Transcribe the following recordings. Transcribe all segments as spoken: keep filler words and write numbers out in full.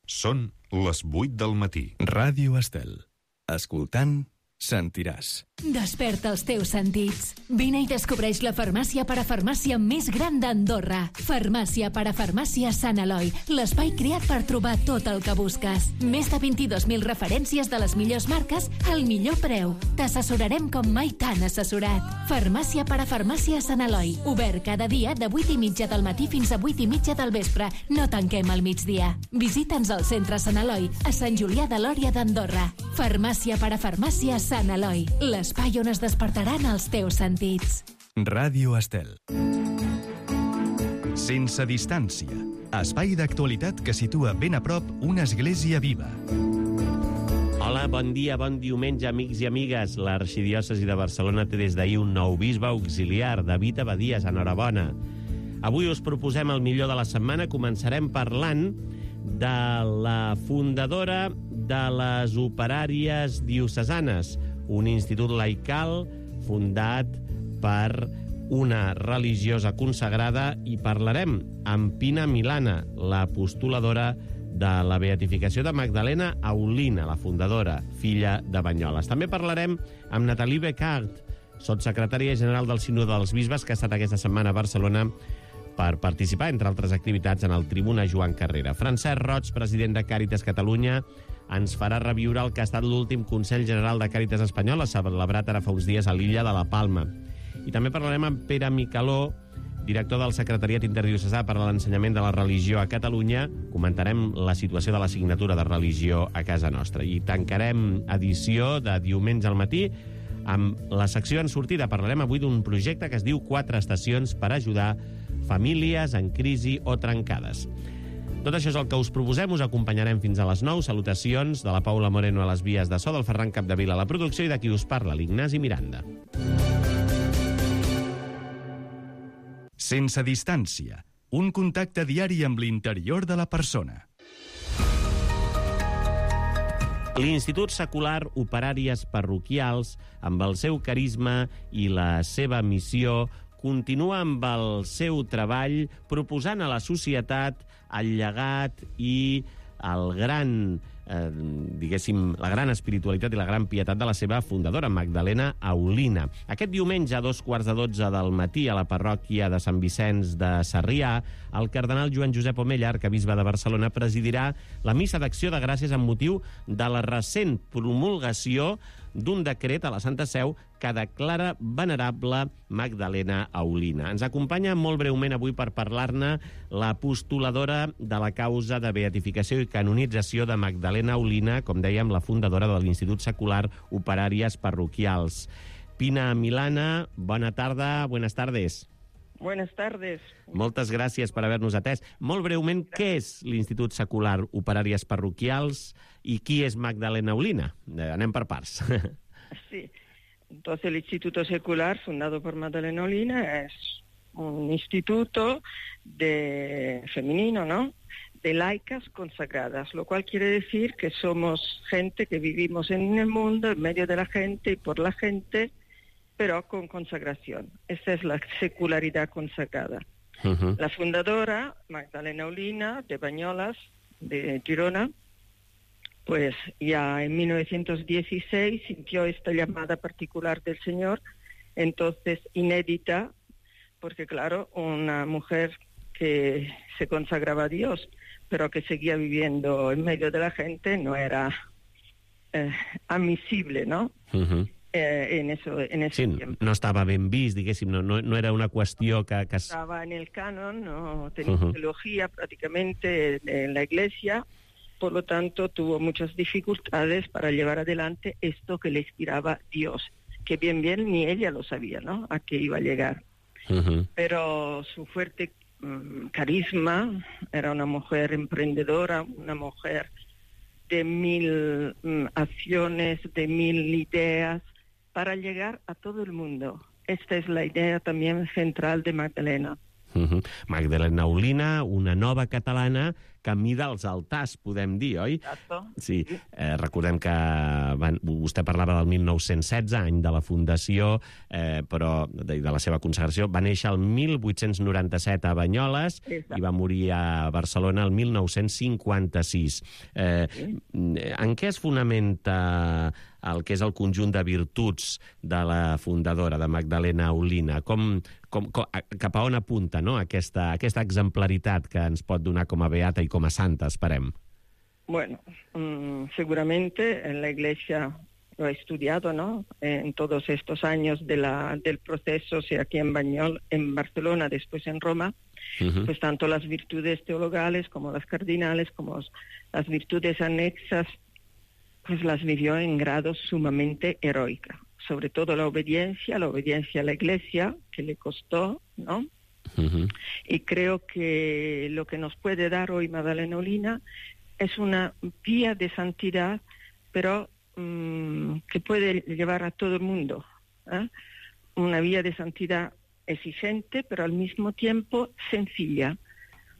Són les vuit del matí. Ràdio Estel. Escoltant, sentiràs. Desperta els teus sentits. Vine i descobreix la farmàcia parafarmàcia més gran d'Andorra. Farmàcia parafarmàcia Sant Eloi, l'espai creat per trobar tot el que busques. Més de vint-i-dos mil referències de les millors marques al millor preu. T'assessorarem com mai t'han assessorat. Farmàcia parafarmàcia Sant Eloi. Obert cada dia de vuit i mitja del matí fins a vuit i mitja del vespre. No tanquem al migdia. Visita'ns al centre Sant Eloi, a Sant Julià de Lòria d'Andorra. Farmàcia parafarmàcia Sant Eloi. L'espai on es despertaran els teus sentits. Ràdio Estel. Sense distància. Espai d'actualitat que situa ben a prop una església viva. Hola, bon dia, bon diumenge, amics i amigues. L'arxidiòcesi de Barcelona té des d'ahir un nou bisbe auxiliar, David Abadies. Enhorabona. Avui us proposem el millor de la setmana. Començarem parlant de la fundadora de les operàries diocesanes, un institut laical fundat per una religiosa consagrada, i parlarem amb Pina Milana, la postuladora de la beatificació de Magdalena Aulina, la fundadora, filla de Banyoles. També parlarem amb Nathalie Becart, sotssecretària general del Sínode dels Bisbes, que ha estat aquesta setmana a Barcelona per participar, entre altres activitats, en el Tribuna Joan Carrera. Francesc Roig, president de Càritas Catalunya, ens farà reviure el que ha estat l'últim Consell General de Càritas Espanyola, celebrat ara fa uns dies a l'illa de la Palma. I també parlarem amb Pere Micaló, director del Secretariat Interdiocesà per a l'Ensenyament de la Religió a Catalunya. Comentarem la situació de l'assignatura de religió a casa nostra. I tancarem edició de diumenge al matí amb la secció en sortida. Parlarem avui d'un projecte que es diu Quatre Estacions per ajudar famílies en crisi o trencades. Tot això és el que us proposem, us acompanyarem fins a les nou. Salutacions de la Paula Moreno a les vies de so, del Ferran Capdevila a la producció i de qui us parla, l'Ignasi Miranda. Sense distància. Un contacte diari amb l'interior de la persona. L'Institut Secular Operàries Parroquials, amb el seu carisma i la seva missió, continua amb el seu treball proposant a la societat el llegat i el gran, eh, diguéssim, la gran espiritualitat i la gran pietat de la seva fundadora, Magdalena Aulina. Aquest diumenge, a dos quarts de dotze del matí, a la parròquia de Sant Vicenç de Sarrià, el cardenal Joan Josep Omella, arquebisbe de Barcelona, presidirà la missa d'acció de gràcies amb motiu de la recent promulgació d'un decret a la Santa Seu que declara venerable Magdalena Aulina. Ens acompanya molt breument avui per parlar-ne la postuladora de la causa de beatificació i canonització de Magdalena Aulina, com dèiem, la fundadora de l'Institut Secular Operàries Parroquials. Pina Milana, bona tarda, buenas tardes. Buenas tardes. Moltes gràcies per haver-nos atès. Molt breument, què és l'Institut Secular Operàries Parroquials i qui és Magdalena Aulina? Eh, anem per parts. Sí, entonces el Instituto Secular, fundado por Magdalena Aulina, es un instituto de femenino, ¿no?, de laicas consagradas, lo cual quiere decir que somos gente que vivimos en el mundo, en medio de la gente y por la gente, pero con consagración. Esa es la secularidad consagrada. Uh-huh. La fundadora, Magdalena Aulina, de Banyoles, de Girona, pues ya en mil novecientos dieciséis sintió esta llamada particular del Señor, entonces inédita, porque claro, una mujer que se consagraba a Dios, pero que seguía viviendo en medio de la gente, no era eh, admisible, ¿no? Uh-huh. Eh, en eso, en ese sí, tiempo. No estava ben vist, diguéssim, no, no, no era una qüestió que... que... Estaba en el canon, no tenía Uh-huh. teología prácticamente en la iglesia, por lo tanto tuvo muchas dificultades para llevar adelante esto que le inspiraba Dios, que bien bien ni ella lo sabía, ¿no?, a qué iba a llegar. Uh-huh. Pero su fuerte um, carisma, era una mujer emprendedora, una mujer de mil um, acciones, de mil ideas, para llegar a todo el mundo. Esta es la idea también central de Magdalena. Uh-huh. Magdalena Aulina, una nova catalana camí dels altars, podem dir, oi? Exacto. Sí, eh, recordem que van, vostè parlava del mil nou-cents setze, any de la fundació, eh, però de, de la seva consagració. Va néixer el mil vuit-cents noranta-set a Banyoles Exacte. i va morir a Barcelona el mil nou-cents cinquanta-sis. Eh, Sí. En què es fonamenta el que és el conjunt de virtuts de la fundadora, de Magdalena Olina? Com, com, com, cap a on apunta, no? aquesta, aquesta exemplaritat que ens pot donar com a beata i com a santa, esperem? Bueno, mmm, seguramente en la Iglesia lo ha estudiado, ¿no? En todos estos años de la, del proceso, o sea, aquí en, Bañol, en Barcelona, después en Roma, uh-huh. pues tanto las virtudes teologales como las cardinales, como las virtudes anexas, pues las vivió en grados sumamente heroicos. Sobre todo la obediencia, la obediencia a la Iglesia, que le costó, ¿no? Uh-huh. Y creo que lo que nos puede dar hoy Magdalena Olina es una vía de santidad, pero mmm, que puede llevar a todo el mundo, ¿eh? Una vía de santidad exigente, pero al mismo tiempo sencilla.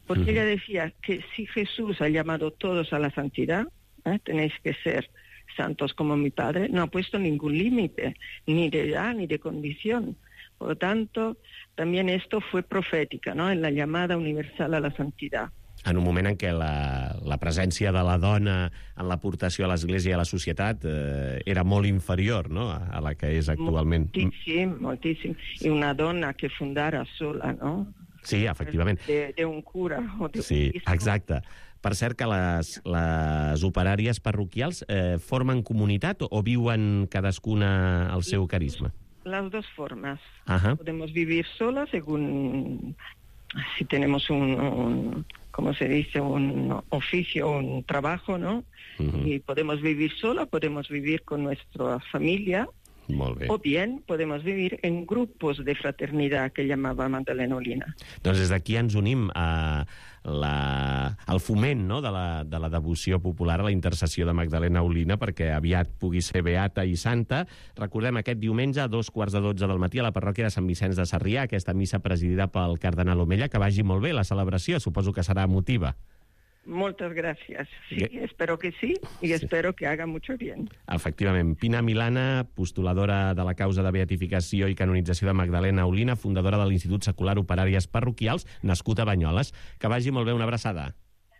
Porque uh-huh. ella decía que si Jesús ha llamado a todos a la santidad, ¿eh? Tenéis que ser santos como mi Padre, no ha puesto ningún límite, ni de edad ni de condición. Por lo tanto, también esto fue profética, ¿no? En la llamada universal a la santidad. En un moment en què la, la presència de la dona en l'aportació a l'Església i a la societat eh, era molt inferior, no?, a, a la que és actualment. Moltíssim, moltíssim. I una dona que fundara sola, no? Sí, efectivament. De, de un cura. O de sí, un exacte. Per cert que les, les operàries parroquials eh, formen comunitat o viuen cadascuna al seu carisma? Las dos formas. Ajá. Podemos vivir solas según si tenemos un, un como se dice, un oficio, un trabajo, ¿no? Uh-huh. Y podemos vivir sola, podemos vivir con nuestra familia. Molt bé. O bien podemos vivir en grupos de fraternidad que llamava Magdalena Olina. Doncs des d'aquí ens unim a la, al foment, no?, de, la, de la devoció popular a la intercessió de Magdalena Olina perquè aviat pugui ser beata i santa. Recordem aquest diumenge a dos quarts de dotze del matí a la parròquia de Sant Vicenç de Sarrià, aquesta missa presidida pel cardenal Omella. Que vagi molt bé la celebració, suposo que serà emotiva. Muchas gracias. Sí, espero que sí, y sí. Espero que haga mucho bien. Efectivament. Pina Milana, postuladora de la causa de beatificació i canonització de Magdalena Olina, fundadora de l'Institut Secular Operàries Parroquials, nascut a Banyoles. Que vagi molt bé, una abraçada.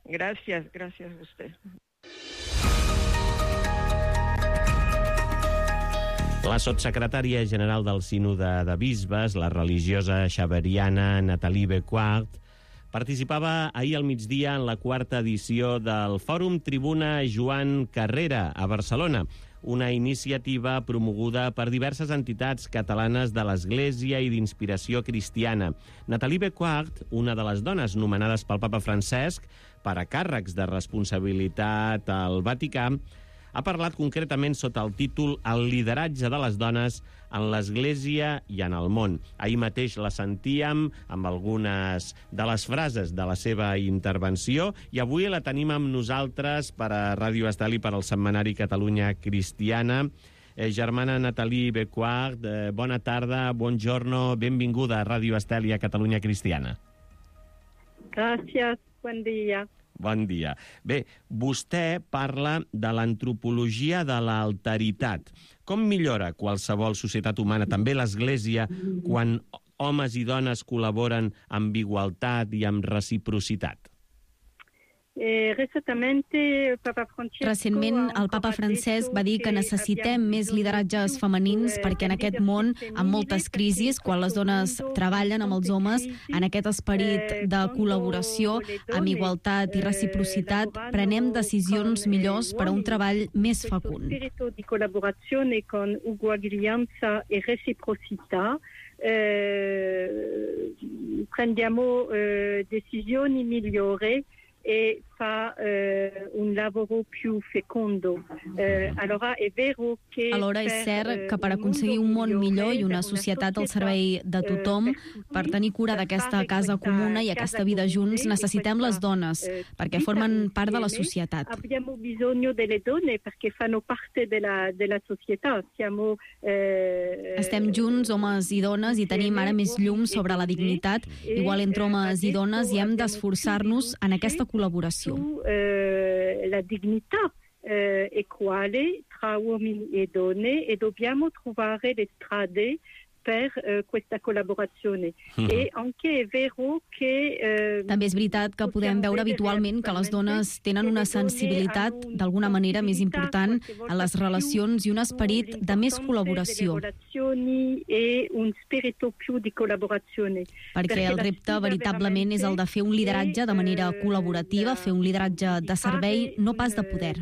Gracias, gracias a usted. La sotssecretària general del Sínode de Bisbes, la religiosa xaveriana Nathalie Becquart, participava ahir al migdia en la quarta edició del Fòrum Tribuna Joan Carrera a Barcelona, una iniciativa promoguda per diverses entitats catalanes de l'Església i d'inspiració cristiana. Nathalie Becquart, una de les dones nomenades pel papa Francesc per a càrrecs de responsabilitat al Vaticà, ha parlat concretament sota el títol El lideratge de les dones en l'Església i en el món. Ahir mateix la sentíem amb algunes de les frases de la seva intervenció i avui la tenim amb nosaltres per a Ràdio Estel i per al setmanari Catalunya Cristiana. Eh, germana Nathalie Becquart, eh, bona tarda, buongiorno, benvinguda a Ràdio Estel i a Catalunya Cristiana. Gràcies, bon dia. Bon dia. Bé, vostè parla de l'antropologia de l'alteritat. Com millora qualsevol societat humana, també l'Església, quan homes i dones col·laboren amb igualtat i amb reciprocitat? Recentment, el papa Francesc va dir que necessitem més lideratges femenins perquè en aquest món, amb moltes crisis, quan les dones treballen amb els homes, en aquest esperit de col·laboració, amb igualtat i reciprocitat, prenem decisions millors per a un treball més fecund. Di collaborazione con uguaglianza e reciprocità eh, prendiamo eh, decisioni migliori e fa eh, un lavoro più fecondo. Eh, allora è vero che Alhora és cert que per aconseguir un món millor i una societat al servei de tothom, per tenir cura d'aquesta casa comuna i aquesta vida junts, necessitem les dones, perquè formen part de la societat. Abbiamo bisogno delle donne perché fanno parte della, della società. Siamo, eh, Estem junts, homes i dones, i tenim ara més llum sobre la dignitat, igual entre homes i dones, i hem d'esforçar-nos en aquesta col·laboració. Eh, la dignitat eh, equale tra uomini e donne e dobbiamo trovare le strade per uh, questa collaborazione. Mm-hmm. E anche è vero che... Uh, També és veritat que podem veure habitualment que les dones tenen una sensibilitat d'alguna manera més important a les relacions i un esperit de més col·laboració. E un spirito più di collaborazione. Perquè el repte veritablement és el de fer un lideratge de manera col·laborativa, fer un lideratge de servei, no pas de poder.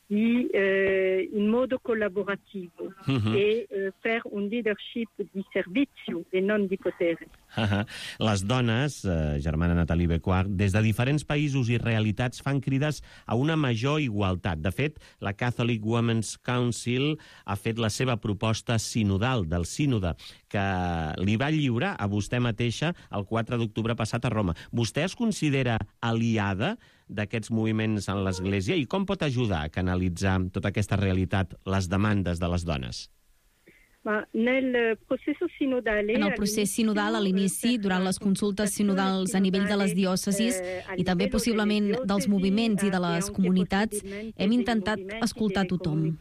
Di, eh, in modo collaborativo uh-huh. e eh, fer un leadership di servizio e non di potere. Uh-huh. Les dones, eh, germana Nathalie Becquart, des de diferents països i realitats fan crides a una major igualtat. De fet, la Catholic Women's Council ha fet la seva proposta sinodal del sínode, que li va lliurar a vostè mateixa el quatre d'octubre passat a Roma. Vostè es considera aliada d'aquests moviments en l'Església i com pot ajudar a canalitzar tota aquesta realitat, les demandes de les dones? En el procés sinodal, a l'inici, durant les consultes sinodals a nivell de les diòcesis i també possiblement dels moviments i de les comunitats, hem intentat escoltar tothom.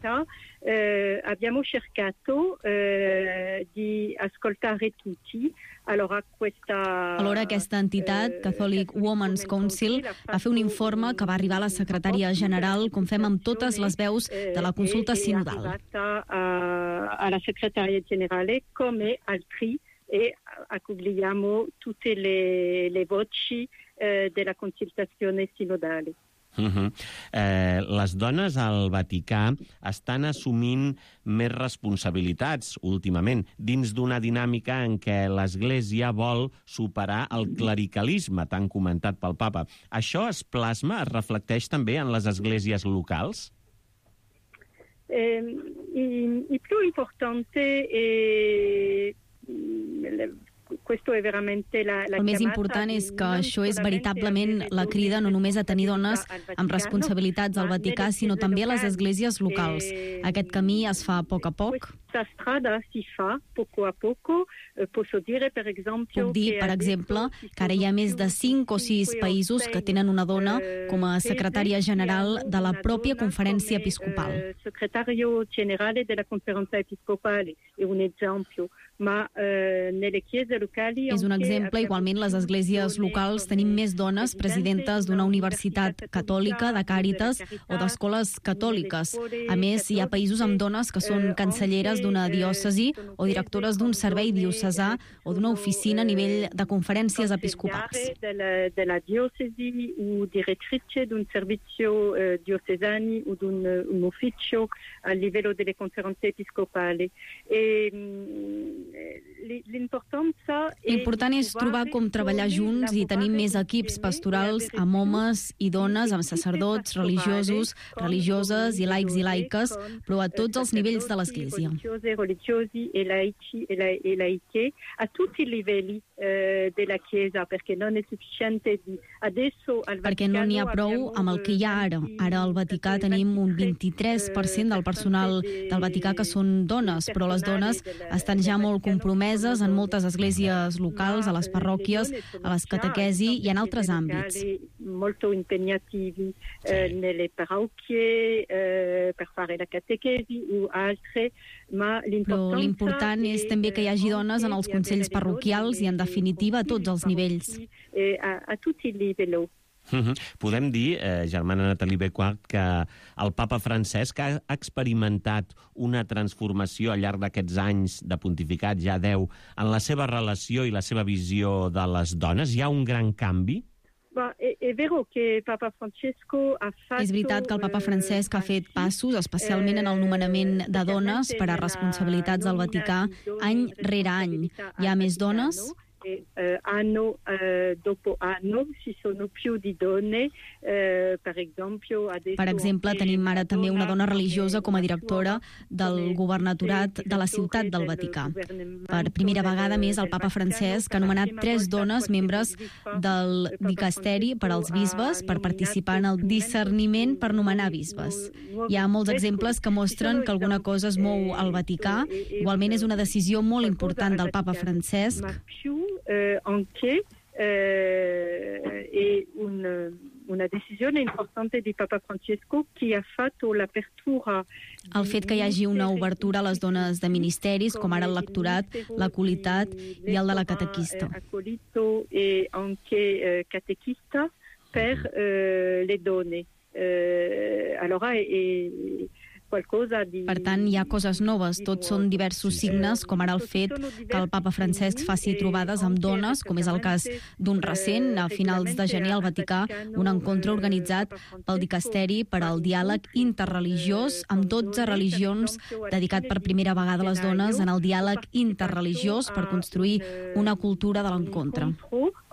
Eh, abbiamo cercato eh, di ascoltare tutti. Allora, questa, Alhora, aquesta entitat, Catholic Women's Council, va fer un informe que va arribar a la secretària general, com fem amb totes les veus de la consulta sinodal. A, a la secretaria generale come altri e accogliamo tutte le, le voci eh, della consultazione sinodale. Uh-huh. eh, les dones al Vaticà estan assumint més responsabilitats últimament dins d'una dinàmica en què l'Església vol superar el clericalisme tan comentat pel papa. Això es plasma, es reflecteix també en les esglésies locals? Eh, il, il più importante è El més important és que això és veritablement la crida no només a tenir dones amb responsabilitats al Vaticà, sinó també a les esglésies locals. Aquest camí es fa a poc a poc. Puc dir, per exemple, que ara hi ha més de cinc o sis països que tenen una dona com a secretària general de la pròpia conferència episcopal. Secretario generale della conferenza episcopale è un esempio. Ma, eh, nelle chiese locali... És un exemple. Igualment, les esglésies locals tenim més dones presidentes d'una universitat catòlica, de Càritas o d'escoles catòliques. A més, hi ha països amb dones que són cancelleres d'una diòcesi o directores d'un servei diocesà o d'una oficina a nivell de conferències episcopals. De la, de la diòcesi o direttrice d'un servizio eh, diocesani o d'un un ufficio a livello delle conferenze episcopali. E, L'important és trobar com treballar junts i tenir més equips pastorals amb homes i dones, amb sacerdots, religiosos, religioses i laics i laiques, però a tots els nivells de l'Església. Religiosi e laici e laiche a tutti i livelli della Chiesa, perquè no è sufficiente adesso al Vaticano. Perquè no n'hi ha prou amb el que hi ha ara. Ara al Vaticà tenim un vint-i-tres per cent del personal del Vaticà que són dones, però les dones estan ja molt compromeses en moltes esglésies locals, a les parròquies, a les catequesi i en altres àmbits. Molto impegnativi eh, nelle parrocchie eh, per fare la catechesi o altre, ma però l'important és també que hi hagi dones en els consells parroquials i, en definitiva, a tots els nivells. A, a tutti i livelli. Uh-huh. Podem dir, eh, germana Nathalie Becquart, que el papa Francesc ha experimentat una transformació al llarg d'aquests anys de pontificat, ja deu, en la seva relació i la seva visió de les dones? Hi ha un gran canvi? És veritat que el papa Francesc ha fet passos, especialment en el nomenament de dones per a responsabilitats al Vaticà, any rere any. Hi ha més dones? Eh, anno eh, dopo anno ci sono più di donne, eh, per esempio adesso... Per exemple, tenim ara també una dona religiosa com a directora del governatorat de la ciutat del Vaticà. Per primera vegada més, el papa Francesc ha nomenat tres dones membres del dicasteri per als bisbes per participar en el discerniment per nomenar bisbes. Hi ha molts exemples que mostren que alguna cosa es mou al Vaticà. Igualment és una decisió molt important del papa Francesc. Eh, anche eh, e un, una decisione importante di Papa Francesco che ha fatto l'apertura. El fet que hi hagi una obertura a les dones de ministeris, com ara el lectorat, l'acolitat i el de la catequista. Acolito e anche catechista per eh, le donne. Eh, allora è qualcosa di... Per tant, hi ha coses noves. Tots són diversos signes, com ara el fet que el Papa Francesc faci trobades amb dones, com és el cas d'un recent, a finals de gener al Vaticà, un encontre organitzat pel Dicasteri per al diàleg interreligiós amb dotze religions, dedicat per primera vegada a les dones en el diàleg interreligiós per construir una cultura de l'encontre.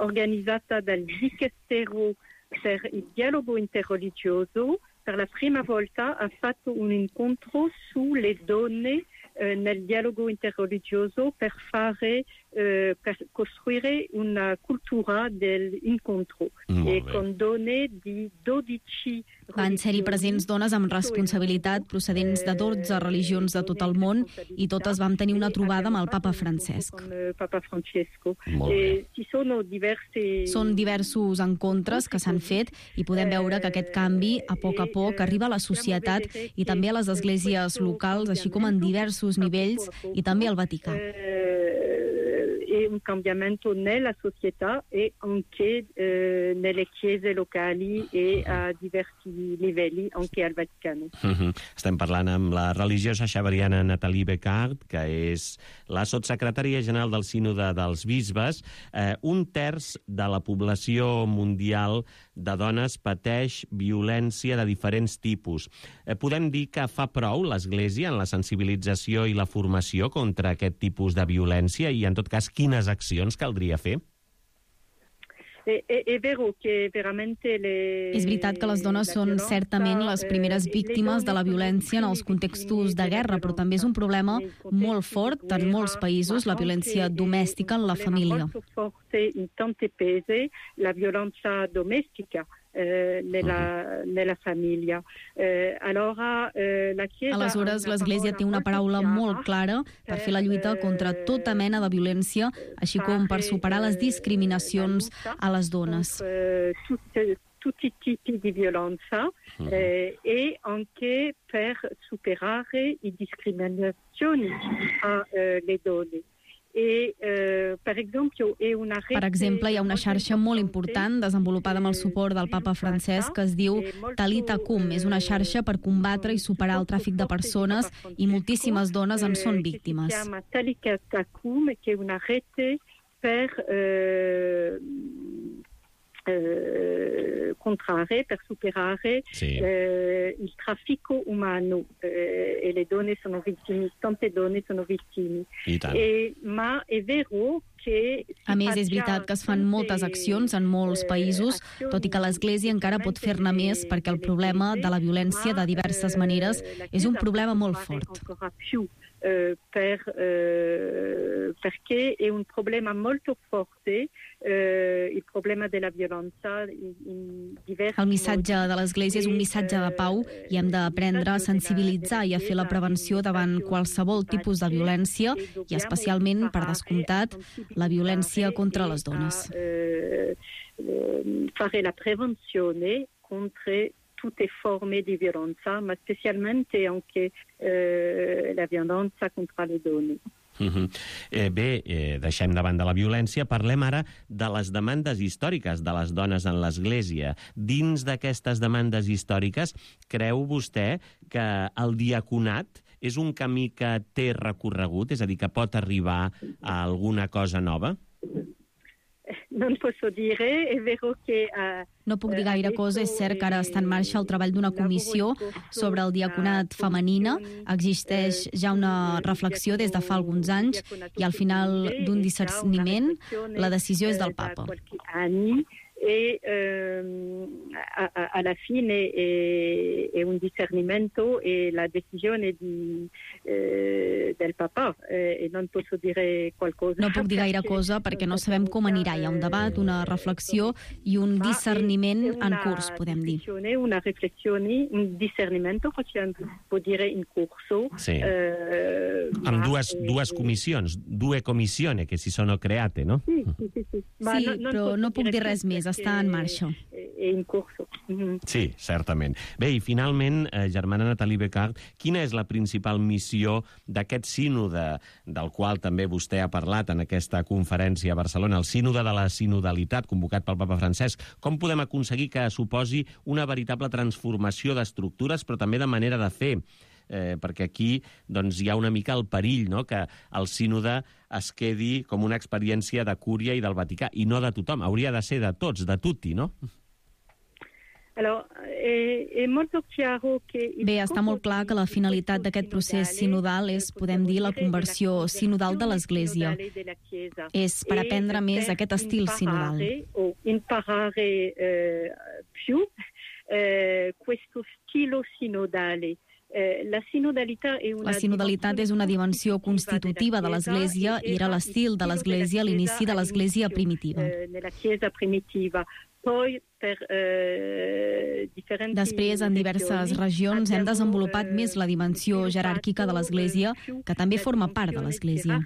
Organizzata dal Dicastero per il dialogo interreligioso, per la prima volta ha fatto un incontro sulle donne eh, nel dialogo interreligioso per fare eh, per costruire una cultura dell'incontro e con donne di dodici Van ser-hi presents dones amb responsabilitat procedents de dotze religions de tot el món i totes vam tenir una trobada amb el Papa Francesc. Són diversos encontres que s'han fet i podem veure que aquest canvi, a poc a poc, arriba a la societat i també a les esglésies locals, així com en diversos nivells i també al Vaticà. E un cambiamento nella società e anche eh, nelle chiese locali e a diversi livelli, anche al Vaticano. Uh-huh. Estem parlant amb la religiosa xaveriana Nathalie Becard, que és la sotssecretària general del Sínode dels Bisbes. Eh, un terç de la població mundial de dones pateix violència de diferents tipus. Eh, podem dir que fa prou l'Església en la sensibilització i la formació contra aquest tipus de violència i, en tot cas, quines accions caldria fer? És veritat que les dones són certament les primeres víctimes de la violència en els contextos de guerra, però també és un problema molt fort en molts països, la violència domèstica en la família. In tante paesi la violenza domestica eh, nella, nella famiglia. Eh, allora, eh, la Chiesa Aleshores, l'Església té una paraula molt clara per fer la lluita contra tota mena de violència, així com per superar les discriminacions a les dones. Tutti i tipi di violenza eh, e anche per superare le discriminazioni alle donne. E, eh, per exemple, per exemple, hi ha una xarxa molt important desenvolupada amb el suport del Papa Francesc que es diu Talita Cum. És una xarxa per combatre i superar el tràfic de persones i moltíssimes dones en són víctimes. Si chiama Talita Cum, che è una rete per eh, Eh, contrarre, per superare sì. eh, il traffico umano eh, e le donne sono vittime, tante donne sono vittime. E, ma è vero que... A més, és veritat que es fan moltes accions en molts països, tot i que l'Església encara pot fer-ne més perquè el problema de la violència de diverses maneres és un problema molt fort. Uh, per, uh, perché è un problema molto forte, uh, il problema della violenza in diversi... El missatge de l'Església és un missatge de pau i hem d'aprendre a sensibilitzar i a fer la prevenció davant qualsevol tipus de violència i especialment, per descomptat, la violència contra les dones. Uh, uh, fare la prevenzione contro tutte forme di violenza, ma specialmente anche eh, la violenza contra le donne. Uh-huh. eh, bé, eh, deixem davant de la violència, parlem ara de les demandes històriques de les dones en l'Església. Dins d'aquestes demandes històriques, creu vostè que el diaconat és un camí que té recorregut, és a dir, que pot arribar a alguna cosa nova? Non posso dire, è vero che... Uh, no puc dir gaire cosa, és cert que ara està en marxa el treball d'una comissió sobre el diaconat femenina. Existeix ja una reflexió des de fa alguns anys i al final d'un discerniment la decisió és del Papa. e eh, a, a, alla fine è, è un discernimento e la decisione di, eh, del papà eh, e non posso dire qualcosa. No puc dir gaire cosa perquè no sabem com anirà. Hi ha un debat, una reflexió i un discerniment en curs, podem dir. Una riflessione, un discernimento, può dire in corso. Sì. Eh, amb dues, eh, dues comissions, due commissioni che si sono create, no? Sí, sí, sí. sí. sí no, no però no puc dir res més, està en marxa. In corso. Mm-hmm. Sí, certament. Bé, i finalment, eh, germana Nathalie Becart, quina és la principal missió d'aquest sínode, del qual també vostè ha parlat en aquesta conferència a Barcelona, el sínode de la sinodalitat convocat pel papa Francesc? Com podem aconseguir que suposi una veritable transformació d'estructures, però també de manera de fer? Eh, perquè aquí doncs, hi ha una mica el perill, no?, que el sínode es quedi com una experiència de Cúria i del Vaticà, i no de tothom. Hauria de ser de tots, de tutti, no? Bé, està molt clar que la finalitat d'aquest procés sinodal és, podem dir, la conversió sinodal de l'Església. És per aprendre més aquest estil sinodal. Imparare più questo stile sinodale. La sinodalitat és una dimensió constitutiva de l'Església i era l'estil de l'Església a l'inici de l'Església primitiva. Després, en diverses regions, hem desenvolupat més la dimensió jeràrquica de l'Església, que també forma part de l'Església.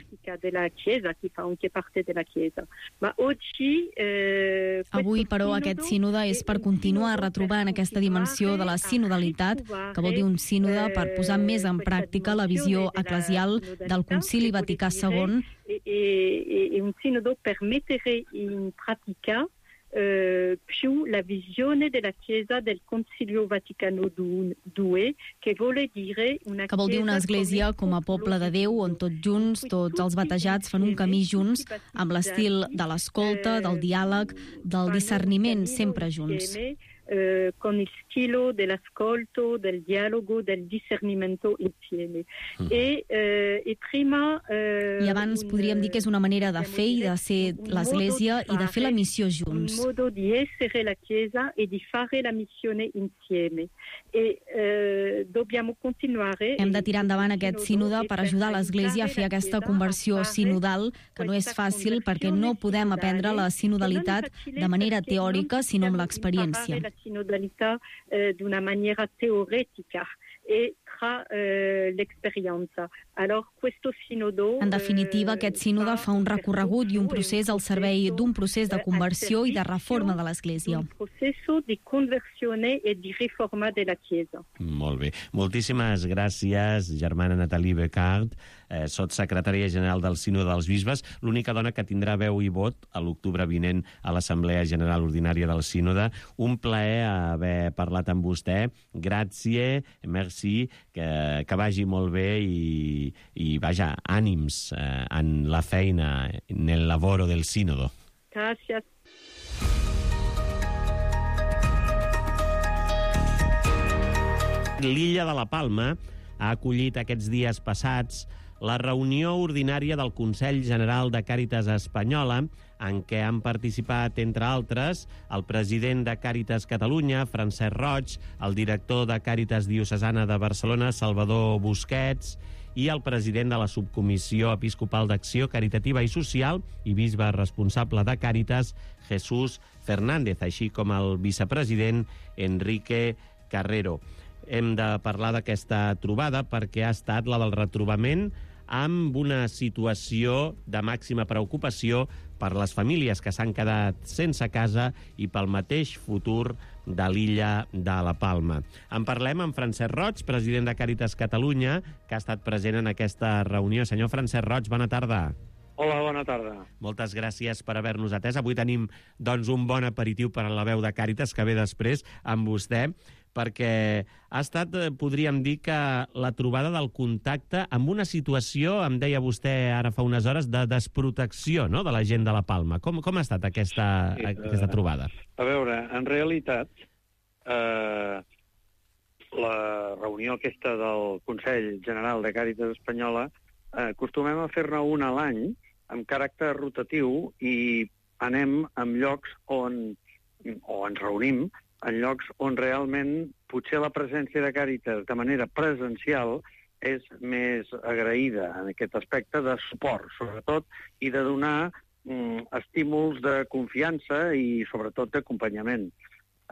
Avui, però, aquest sínode és per continuar retrobant aquesta dimensió de la sinodalitat, que vol dir un sínode per posar més en pràctica la visió eclesial del Concili Vaticà segon. E un sinodo permettere in pratica Uh, più la visione della Chiesa del Concilio Vaticano due, che vuole dire una que vol dir una església com a poble de Déu, on tots junts, tots els batejats fan un camí junts, amb l'estil de l'escolta, del diàleg, del discerniment, sempre junts. Uh, con il stile dell'ascolto, del dialogo, del discernimento insieme. Mm. E, uh, e prima... Uh, I abans podríem dir que és una manera de fer i de ser l'Església i de fer la missió junts. Un modo di essere la Chiesa e di fare la missione insieme. E uh, dobbiamo continuare... Hem de tirar endavant aquest sínode per ajudar l'Església a fer aquesta conversió sinodal, que no és fàcil perquè no podem aprendre la sinodalitat de manera teòrica, sinó amb l'experiència. Sinodalità eh, d'una maniera teoretica e tra eh, l'esperienza. Alors, questo sinodo... En definitiva, aquest sínode fa un recorregut i un procés al servei d'un procés de conversió i de reforma de l'Església. Un procés de conversione e di riforma de la Chiesa. Molt bé. Moltíssimes gràcies, germana Nathalie Becart, eh, sotssecretària general del Sínode dels Bisbes, l'única dona que tindrà veu i vot a l'octubre vinent a l'Assemblea General Ordinària del Sínode. Un plaer haver parlat amb vostè. Gràcies, merci, que, que vagi molt bé i, i vaja, ànims eh, en la feina, en el lavoro del sínodo. Gràcies. L'illa de la Palma ha acollit aquests dies passats la reunió ordinària del Consell General de Càritas Espanyola, en què han participat, entre altres, el president de Càritas Catalunya, Francesc Roig, el director de Càritas Diocesana de Barcelona, Salvador Busquets, i el president de la Subcomissió Episcopal d'Acció Caritativa i Social i bisbe responsable de Càritas, Jesús Fernández, així com el vicepresident Enrique Carrero. Hem de parlar d'aquesta trobada perquè ha estat la del retrobament amb una situació de màxima preocupació per les famílies que s'han quedat sense casa i pel mateix futur de l'illa de la Palma. En parlem amb Francesc Roig, president de Càritas Catalunya, que ha estat present en aquesta reunió. Senyor Francesc Roig, bona tarda. Hola, bona tarda. Moltes gràcies per haver-nos atès. Avui tenim doncs, un bon aperitiu per a la veu de Càritas, que ve després amb vostè, perquè ha estat, podríem dir, que la trobada del contacte amb una situació, em deia vostè ara fa unes hores, de desprotecció, no?, de la gent de la Palma. Com, com ha estat aquesta, sí, aquesta trobada? A veure, en realitat, eh, la reunió aquesta del Consell General de Càritas Espanyola eh, acostumem a fer-ne una a l'any, amb caràcter rotatiu, i anem en llocs on o ens reunim en llocs on realment potser la presència de Càritas de manera presencial és més agraïda en aquest aspecte de suport, sobretot, i de donar mm, estímuls de confiança i, sobretot, d'acompanyament.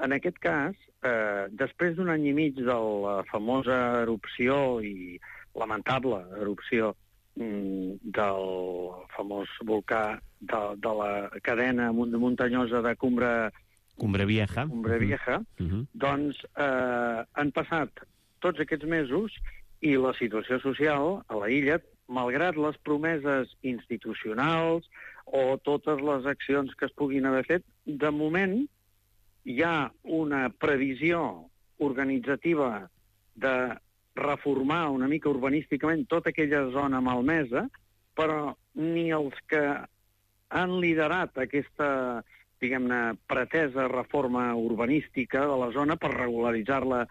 En aquest cas, eh, després d'un any i mig de la famosa erupció i lamentable erupció mm, del famós volcà de, de la cadena muntanyosa de Cumbre, Cumbre Vieja, Cumbre Vieja uh -huh. doncs eh, han passat tots aquests mesos i la situació social a la illa, malgrat les promeses institucionals o totes les accions que es puguin haver fet, de moment hi ha una previsió organitzativa de reformar una mica urbanísticament tota aquella zona malmesa, però ni els que han liderat aquesta, diguem-ne, pretesa reforma urbanística de la zona per regularitzar-la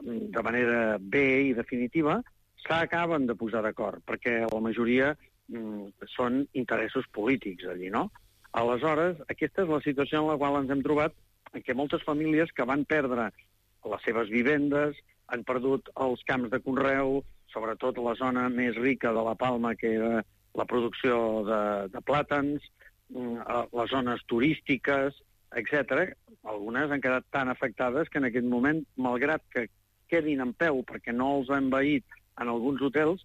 de manera bé i definitiva, s'acaben de posar d'acord, perquè la majoria mm, són interessos polítics allí, no? Aleshores, aquesta és la situació en la qual ens hem trobat, en què moltes famílies que van perdre les seves vivendes, han perdut els camps de conreu, sobretot la zona més rica de la Palma, que era la producció de, de plàtans, les zones turístiques, etcètera. Algunes han quedat tan afectades que en aquest moment, malgrat que quedin en peu perquè no els han envaït en alguns hotels,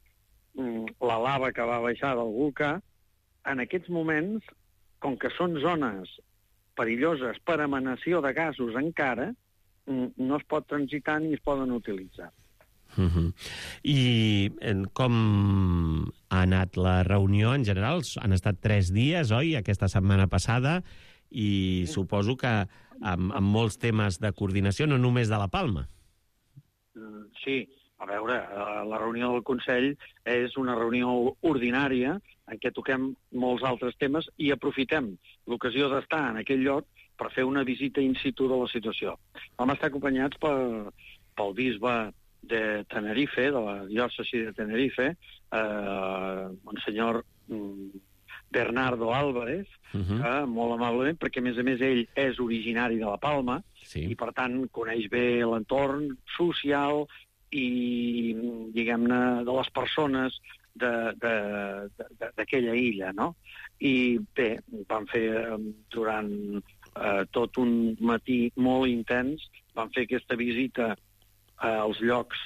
la lava que va baixar del volcà, en aquests moments, com que són zones perilloses per emanació de gasos encara, no es pot transitar ni es poden utilitzar. Uh -huh. I com ha anat la reunió en general? Han estat tres dies, oi, aquesta setmana passada, i sí. Suposo que amb, amb molts temes de coordinació, no només de la Palma. Sí, a veure, la reunió del Consell és una reunió ordinària en què toquem molts altres temes i aprofitem l'ocasió d'estar en aquell lloc per fer una visita in situ de la situació. Vam estar acompanyats per, pel bisbe de Tenerife, de la diòcesi de Tenerife, eh, monsenyor Bernardo Álvarez, uh-huh. que molt amablement, perquè a més a més ell és originari de la Palma, sí. I per tant coneix bé l'entorn social i, diguem-ne, de les persones d'aquella illa, no? I bé, vam fer durant eh, tot un matí molt intens, vam fer aquesta visita als llocs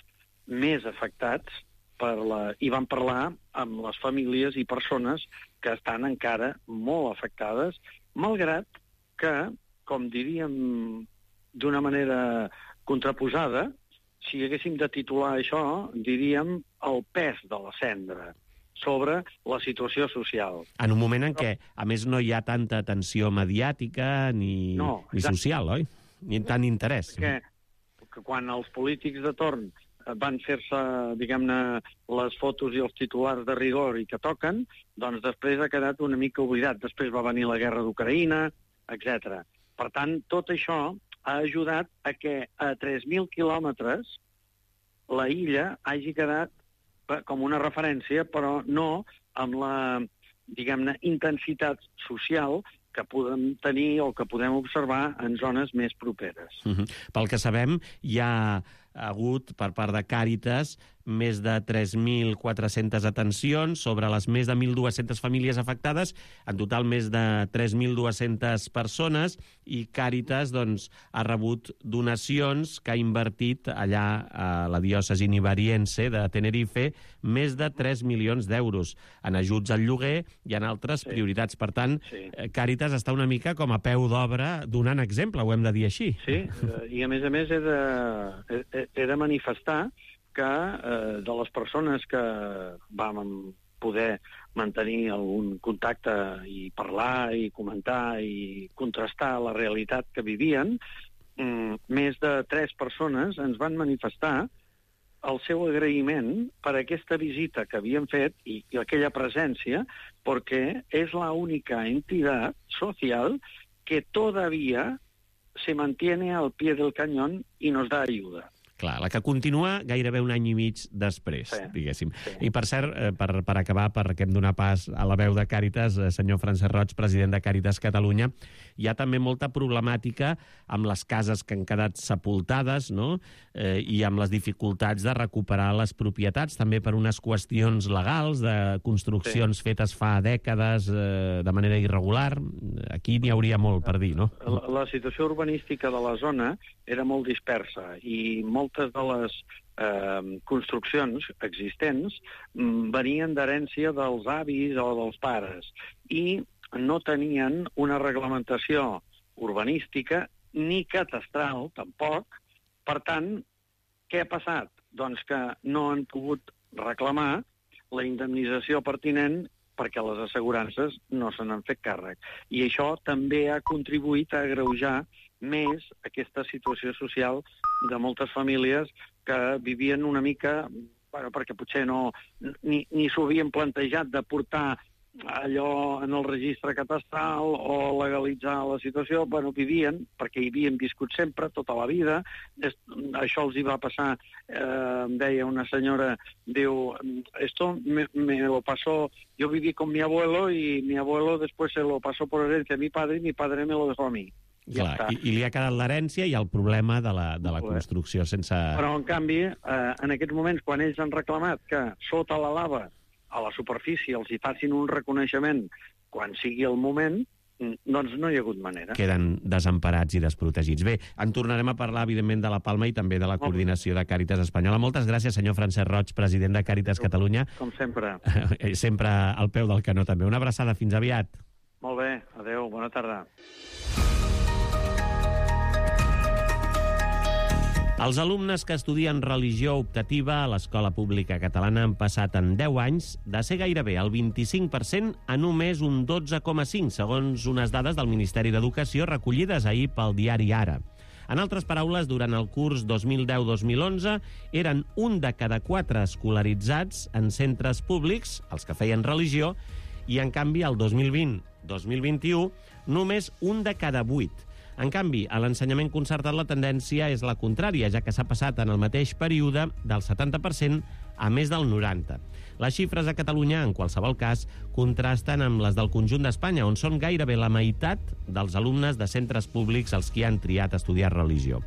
més afectats per la, i vam parlar amb les famílies i persones que estan encara molt afectades, malgrat que, com diríem d'una manera contraposada, si haguéssim de titular això, diríem el pes de la cendra sobre la situació social. En un moment en què, a més, no hi ha tanta atenció mediàtica ni, no, ni social, oi? Ni tant interès. Perquè que quan els polítics de torn van fer-se, diguem-ne, les fotos i els titulars de rigor i que toquen, doncs després ha quedat una mica oblidat. Després va venir la guerra d'Ucraïna, etcètera. Per tant, tot això ha ajudat a que a tres mil quilòmetres la illa hagi quedat com una referència, però no amb la, diguem-ne, intensitat social que podem tenir o que podem observar en zones més properes. Uh-huh. Pel que sabem, hi ha hagut, per part de Càritas, més de tres mil quatre-centes atencions sobre les més de mil dues-centes famílies afectades, en total més de tres mil dues-centes persones, i Càritas doncs, ha rebut donacions que ha invertit allà a la diòcesi nivariense de Tenerife més de tres milions d'euros en ajuts al lloguer i en altres sí. prioritats. Per tant, sí. Càritas està una mica com a peu d'obra donant exemple, ho hem de dir així. Sí, i a més a més he de, he, he de manifestar que eh, de les persones que vam poder mantenir algun contacte i parlar i comentar i contrastar la realitat que vivien, mm, més de tres persones ens van manifestar el seu agraïment per aquesta visita que havien fet i, i aquella presència, perquè és la única entidad social que todavía se mantiene al pie del cañón y nos da ayuda. Clar, la que continua gairebé un any i mig després, sí, diguéssim. Sí. I per cert, per, per acabar, perquè hem donat pas a la veu de Càritas, senyor Francesc Roig, president de Càritas Catalunya, hi ha també molta problemàtica amb les cases que han quedat sepultades, no? Eh, i amb les dificultats de recuperar les propietats, també per unes qüestions legals, de construccions sí. fetes fa dècades eh, de manera irregular. Aquí n'hi hauria molt per dir, no? La, la situació urbanística de la zona era molt dispersa i moltes de les eh, construccions existents mm, venien d'herència dels avis o dels pares i no tenien una reglamentació urbanística ni catastral, tampoc. Per tant, què ha passat? Doncs que no han pogut reclamar la indemnització pertinent perquè les assegurances no se n'han fet càrrec. I això també ha contribuït a agreujar més aquesta situació social de moltes famílies que vivien una mica, bueno, perquè potser no, ni, ni s'ho havien plantejat de portar allò en el registre catastral o legalitzar la situació, bueno, vivien, perquè hi havien viscut sempre, tota la vida. Això els hi va passar, eh, em deia una senyora, diu, esto me, me lo pasó, yo viví con mi abuelo y mi abuelo después se lo pasó por herencia a mi padre y mi padre me lo dejó a mí. Clar, ja i, i li ha quedat l'herència i el problema de la, de la construcció sense... Però, en canvi, eh, en aquests moments, quan ells han reclamat que sota la lava, a la superfície, els hi facin un reconeixement quan sigui el moment, doncs no hi ha hagut manera. Queden desemparats i desprotegits. Bé, en tornarem a parlar, evidentment, de la Palma i també de la coordinació de Càritas Espanyola. Moltes gràcies, senyor Francesc Roig, president de Càritas Catalunya. Com sempre. Sempre al peu del canó, també. Una abraçada, fins aviat. Molt bé, adeu, bona tarda. Els alumnes que estudien religió optativa a l'escola pública catalana han passat en deu anys de ser gairebé el vint-i-cinc per cent a només un dotze coma cinc, segons unes dades del Ministeri d'Educació recollides ahir pel diari Ara. En altres paraules, durant el curs dos mil deu dos mil onze eren un de cada quatre escolaritzats en centres públics, els que feien religió, i en canvi el dos mil vint dos mil vint-i-u només un de cada vuit. En canvi, a l'ensenyament concertat la tendència és la contrària, ja que s'ha passat en el mateix període del setanta per cent a més del noranta per cent. Les xifres a Catalunya, en qualsevol cas, contrasten amb les del conjunt d'Espanya, on són gairebé la meitat dels alumnes de centres públics els que han triat estudiar religió.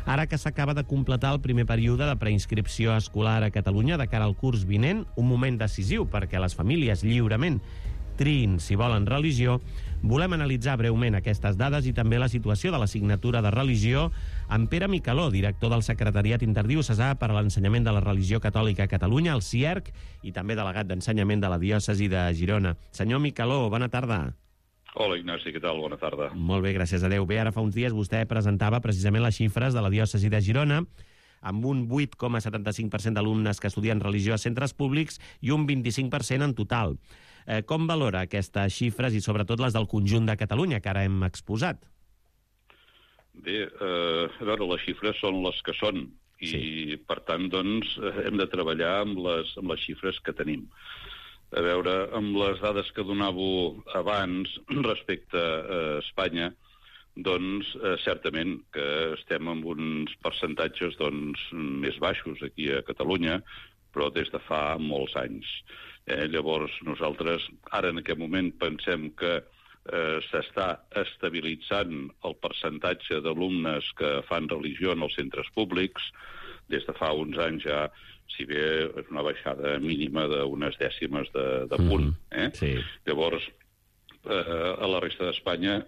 Ara que s'acaba de completar el primer període de preinscripció escolar a Catalunya de cara al curs vinent, un moment decisiu perquè les famílies lliurement triïn si volen religió, volem analitzar breument aquestes dades i també la situació de l'assignatura de religió amb Pere Micaló, director del Secretariat Interdiocesà per a l'Ensenyament de la Religió Catòlica a Catalunya, el C I E R C, i també delegat d'Ensenyament de la Diòcesi de Girona. Senyor Micaló, bona tarda. Hola, Ignasi, què tal? Bona tarda. Molt bé, gràcies a Déu. Bé, ara fa uns dies vostè presentava precisament les xifres de la Diòcesi de Girona, amb un vuit coma setanta-cinc per cent d'alumnes que estudien religió a centres públics i un vint-i-cinc per cent en total. Eh, com valora aquestes xifres i sobretot les del conjunt de Catalunya que ara hem exposat? Bé, eh, a veure, les xifres són les que són i, sí. per tant, doncs, hem de treballar amb les, amb les xifres que tenim. A veure, amb les dades que donàveu abans respecte a Espanya, doncs, eh, certament que estem amb uns percentatges doncs, més baixos aquí a Catalunya, però des de fa molts anys. Eh, llavors, nosaltres ara en aquest moment pensem que eh, s'està estabilitzant el percentatge d'alumnes que fan religió en els centres públics. Des de fa uns anys ja, si bé és una baixada mínima d'unes dècimes de, de punt. Eh? Sí. Llavors, eh, a la resta d'Espanya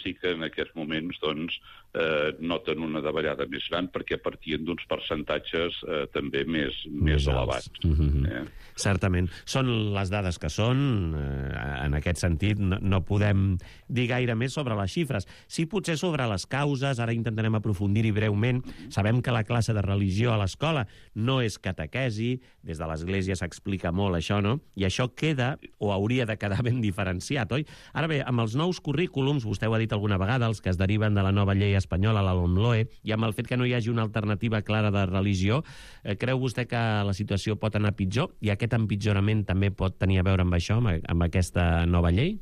sí que en aquests moments doncs, eh, noten una davallada més gran perquè partien d'uns percentatges eh, també més, més, més elevats. Mm-hmm. eh? Certament. Són les dades que són. Eh, en aquest sentit, no, no podem dir gaire més sobre les xifres. Sí, potser sobre les causes, ara intentarem aprofundir-hi breument. Sabem que la classe de religió a l'escola no és catequesi, des de l'Església s'explica molt això, no? I això queda, o hauria de quedar ben diferenciat, oi? Ara bé, amb els nous currículums, vostè ho ha dit alguna vegada, els que es deriven de la nova llei espanyola, la LOMLOE, i amb el fet que no hi hagi una alternativa clara de religió, eh, creu vostè que la situació pot anar pitjor? I aquest empitjorament també pot tenir a veure amb això, amb, amb aquesta nova llei?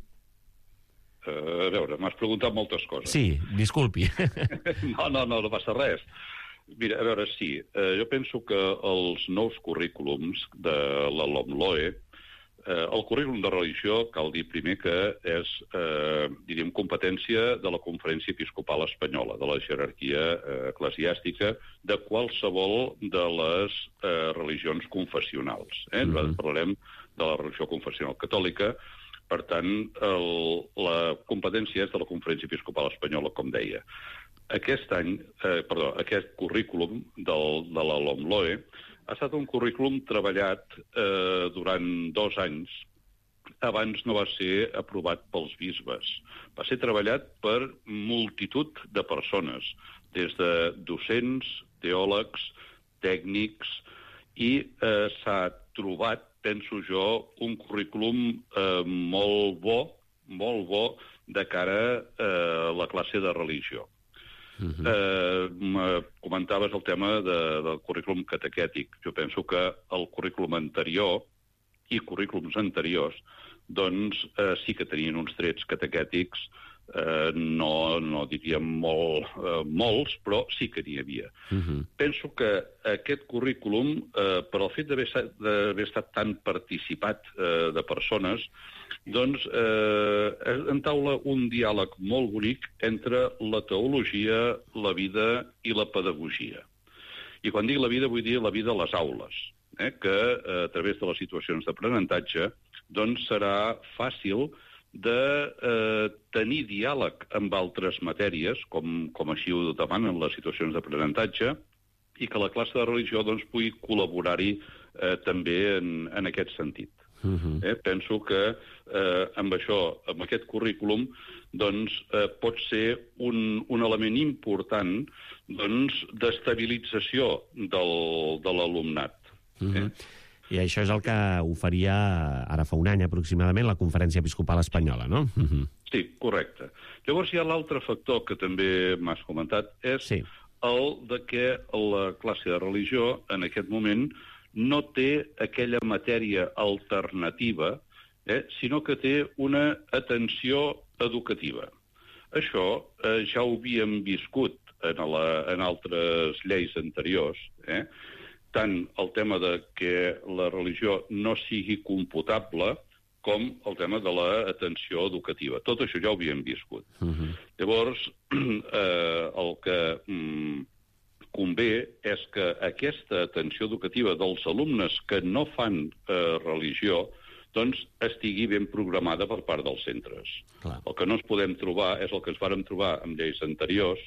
Uh, a veure, m'has preguntat moltes coses. Sí, disculpi. no, no, no, no passa res. Mira, a veure, sí. Eh, jo penso que els nous currículums de la LOMLOE, eh, el currículum de religió, cal dir primer que és, eh, diríem, competència de la Conferència Episcopal Espanyola, de la jerarquia eh, eclesiàstica, de qualsevol de les eh, religions confessionals. Eh? Mm-hmm. Nosaltres parlarem de la religió confessional catòlica. Per tant, el, la competència és de la Conferència Episcopal Espanyola, com deia. Aquest any, eh, perdó, aquest currículum del, de la LOMLOE ha estat un currículum treballat eh, durant dos anys. Abans no va ser aprovat pels bisbes. Va ser treballat per multitud de persones, des de docents, teòlegs, tècnics, i eh, s'ha trobat, penso jo, un currículum eh, molt bo, molt bo de cara a eh, la classe de religió. Uh-huh. eh, comentaves el tema de, del currículum catequètic. Jo penso que el currículum anterior i currículums anteriors doncs eh, sí que tenien uns trets catequètics, eh, no, no diríem molt, eh, molts, però sí que n'hi havia. Uh-huh. Penso que aquest currículum, eh, per el fet d'haver estat tan participat eh, de persones, doncs eh, entaula un diàleg molt bonic entre la teologia, la vida i la pedagogia. I quan dic la vida, vull dir la vida a les aules, eh, que eh, a través de les situacions d'aprenentatge doncs serà fàcil de eh, tenir diàleg amb altres matèries, com, com així ho demanen les situacions d'aprenentatge, i que la classe de religió doncs, pugui col·laborar-hi eh, també en, en aquest sentit. Uh-huh. Eh, penso que eh, amb això, amb aquest currículum, doncs, eh, pot ser un, un element important doncs, d'estabilització del, de l'alumnat. Uh-huh. eh? I això és el que oferia ara fa un any aproximadament la Conferència Episcopal Espanyola, no? Uh-huh. Sí, correcte. Llavors hi ha l'altre factor que també m'has comentat, és sí. el de que la classe de religió en aquest moment no té aquella matèria alternativa, eh, sinó que té una atenció educativa. Això eh, ja ho havíem viscut en, la, en altres lleis anteriors, eh? Tant el tema de que la religió no sigui computable com el tema de l'atenció educativa. Tot això ja ho havíem viscut. Uh-huh. Llavors, eh, el que mm, convé és que aquesta atenció educativa dels alumnes que no fan eh, religió doncs estigui ben programada per part dels centres. Clar. El que no ens podem trobar és el que ens vàrem trobar en lleis anteriors,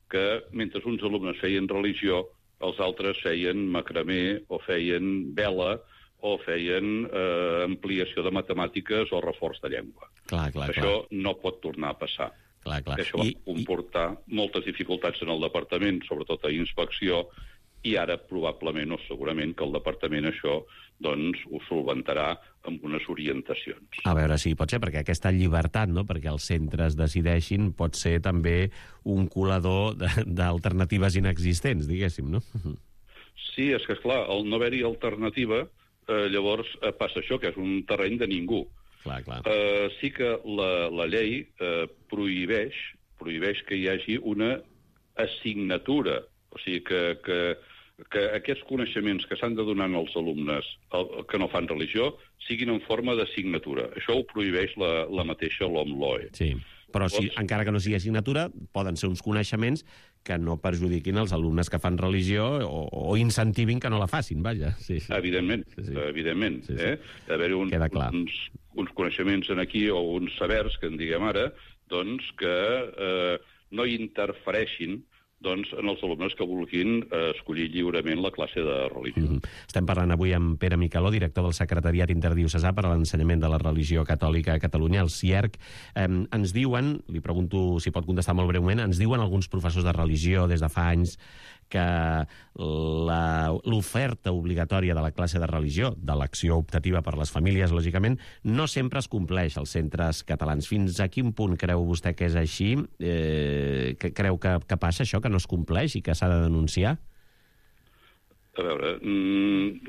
que mentre uns alumnes feien religió, els altres feien macramé o feien vela o feien eh, ampliació de matemàtiques o reforç de llengua. Clar, clar, Això clar. no pot tornar a passar. Clar, clar. Això va I, comportar i... moltes dificultats en el departament, sobretot a inspecció, i ara probablement o segurament que el departament això doncs ho solventarà amb unes orientacions. A veure, sí, pot ser, perquè aquesta llibertat, no?, perquè els centres decideixin, pot ser també un colador d'alternatives inexistents, diguéssim, no? Sí, és que, esclar, al no haver-hi alternativa, eh, llavors eh, passa això, que és un terreny de ningú. Clar, clar. Eh, sí que la, la llei eh, prohibeix, prohibeix que hi hagi una assignatura, o sigui que... que que aquests coneixements que s'han de donar als alumnes que no fan religió siguin en forma d'assignatura. Això ho prohibeix la, la mateixa LOMLOE. Sí, però si, encara que no sigui assignatura, poden ser uns coneixements que no perjudiquin els alumnes que fan religió o, o incentivin que no la facin, vaja. Sí, sí. Evidentment, sí, sí. evidentment. Sí, sí. Eh? Haver-hi un, uns, uns coneixements en aquí o uns sabers, que en diguem ara, doncs que eh, no interfereixin doncs, en els alumnes que vulguin eh, escollir lliurement la classe de religió. Mm-hmm. Estem parlant avui amb Pere Micaló, director del Secretariat Interdiocesà per a l'Ensenyament de la Religió Catòlica a Catalunya, el C I E R C. Eh, ens diuen, li pregunto si pot contestar molt breument, ens diuen alguns professors de religió des de fa anys que l'oferta obligatòria de la classe de religió, de l'acció optativa per les famílies, lògicament, no sempre es compleix als centres catalans. Fins a quin punt creu vostè que és així? Eh, que creu que, que passa això, que no es compleix i que s'ha de denunciar? A veure,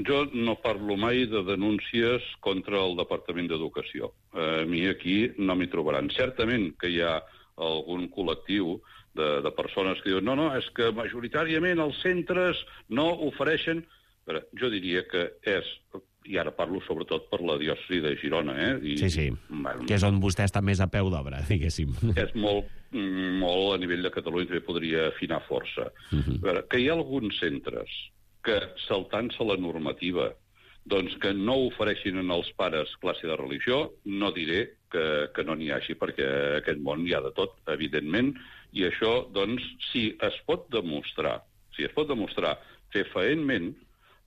jo no parlo mai de denúncies contra el Departament d'Educació. A mi aquí no m'hi trobaran. Certament que hi ha algun col·lectiu de, de persones que diuen no, no, és que majoritàriament els centres no ofereixen... Però jo diria que és... I ara parlo sobretot per la diòcesi de Girona, eh? I, sí, sí, bueno, que és on vostè està més a peu d'obra, diguéssim. És molt, molt a nivell de Catalunya, també podria afinar força. Uh-huh. A veure, que hi ha alguns centres que, saltant-se la normativa, doncs que no ofereixin als pares classe de religió, no diré que, que no n'hi hagi, perquè a aquest món hi ha de tot, evidentment, i això, doncs, si es pot demostrar, si es pot demostrar fefaentment,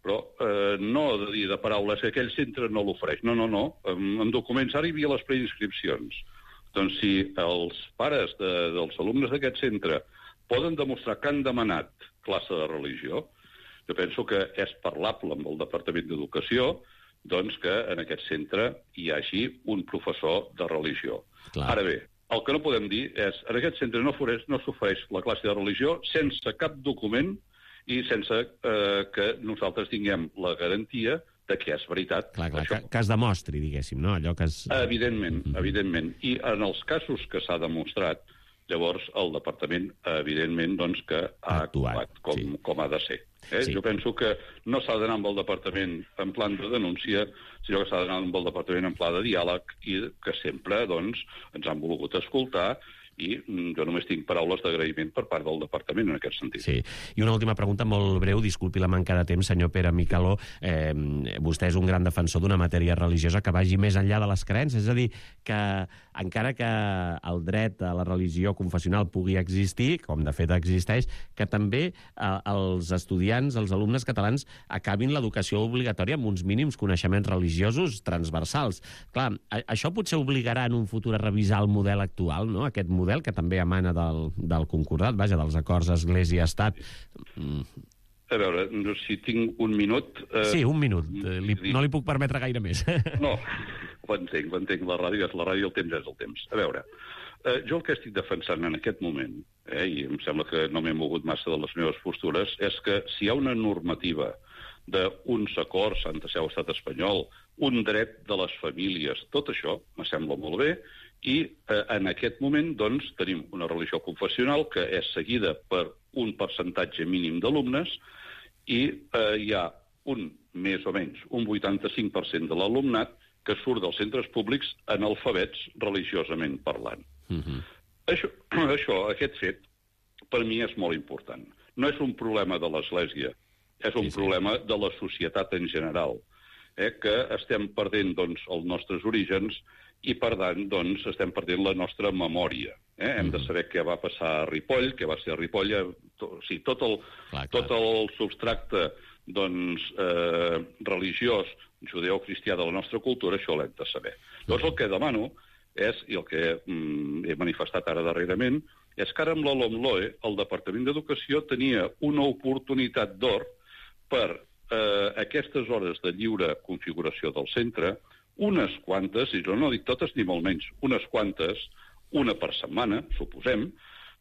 però eh, no de dir de paraules que aquell centre no l'ofereix. No, no, no. En, en documents ara hi havia les preinscripcions. Doncs si els pares de, dels alumnes d'aquest centre poden demostrar que han demanat classe de religió, jo penso que és parlable amb el Departament d'Educació doncs que en aquest centre hi hagi un professor de religió. Clar. Ara bé, el que no podem dir és en aquest centre no, no s'ofereix la classe de religió sense cap document i sense eh, que nosaltres tinguem la garantia de que és veritat. Clar, clar, que, que es demostri, diguéssim, no? Allò que es... Evidentment, mm-hmm. evidentment. I en els casos que s'ha demostrat, llavors el departament, evidentment, doncs que ha actuat, actuat com, sí. com ha de ser. Eh? Sí. Jo penso que no s'ha d'anar amb el departament en plan de denúncia, sinó que s'ha d'anar amb el departament en pla de diàleg i que sempre, doncs, ens han volgut escoltar i jo només tinc paraules d'agraïment per part del departament en aquest sentit. Sí. I una última pregunta molt breu, disculpi la manca de temps, senyor Pere Micaló. Eh, vostè és un gran defensor d'una matèria religiosa que vagi més enllà de les creences, és a dir, que encara que el dret a la religió confessional pugui existir, com de fet existeix, que també eh, els estudiants, els alumnes catalans, acabin l'educació obligatòria amb uns mínims coneixements religiosos transversals. Clar, això potser obligarà en un futur a revisar el model actual, no?, aquest model model que també emana del, del concordat, vaja, dels acords Església-Estat. Mm. A veure, si tinc un minut... Eh, sí, un minut. Li, no li puc permetre gaire més. No, ho entenc, ho entenc. La ràdio és la ràdio, el temps és el temps. A veure, eh, jo el que estic defensant en aquest moment, eh, i em sembla que no m'he mogut massa de les meves postures, és que si hi ha una normativa d'uns acords, Santa Seu, Estat espanyol, un dret de les famílies, tot això me sembla molt bé, i eh, en aquest moment doncs, tenim una religió confessional que és seguida per un percentatge mínim d'alumnes i eh, hi ha un, més o menys, un vuitanta-cinc per cent de l'alumnat que surt dels centres públics analfabets religiosament parlant. Mm-hmm. Això, això, aquest fet, per mi és molt important. No és un problema de l'Església, és un sí, sí. problema de la societat en general, eh, que estem perdent doncs, els nostres orígens i, per tant, doncs, estem perdent la nostra memòria. Eh? Hem de saber què va passar a Ripoll, què va ser a Ripoll, to, o sigui, tot el, clar, clar. tot el substracte doncs, eh, religiós, judeo-cristià de la nostra cultura, això l'hem de saber. Llavors, el que demano és, i el que mm, he manifestat ara darrerament, és que ara amb la LOMLOE el Departament d'Educació tenia una oportunitat d'or per eh, aquestes hores de lliure configuració del centre, unes quantes, i jo no dic totes ni molt menys, unes quantes, una per setmana, suposem,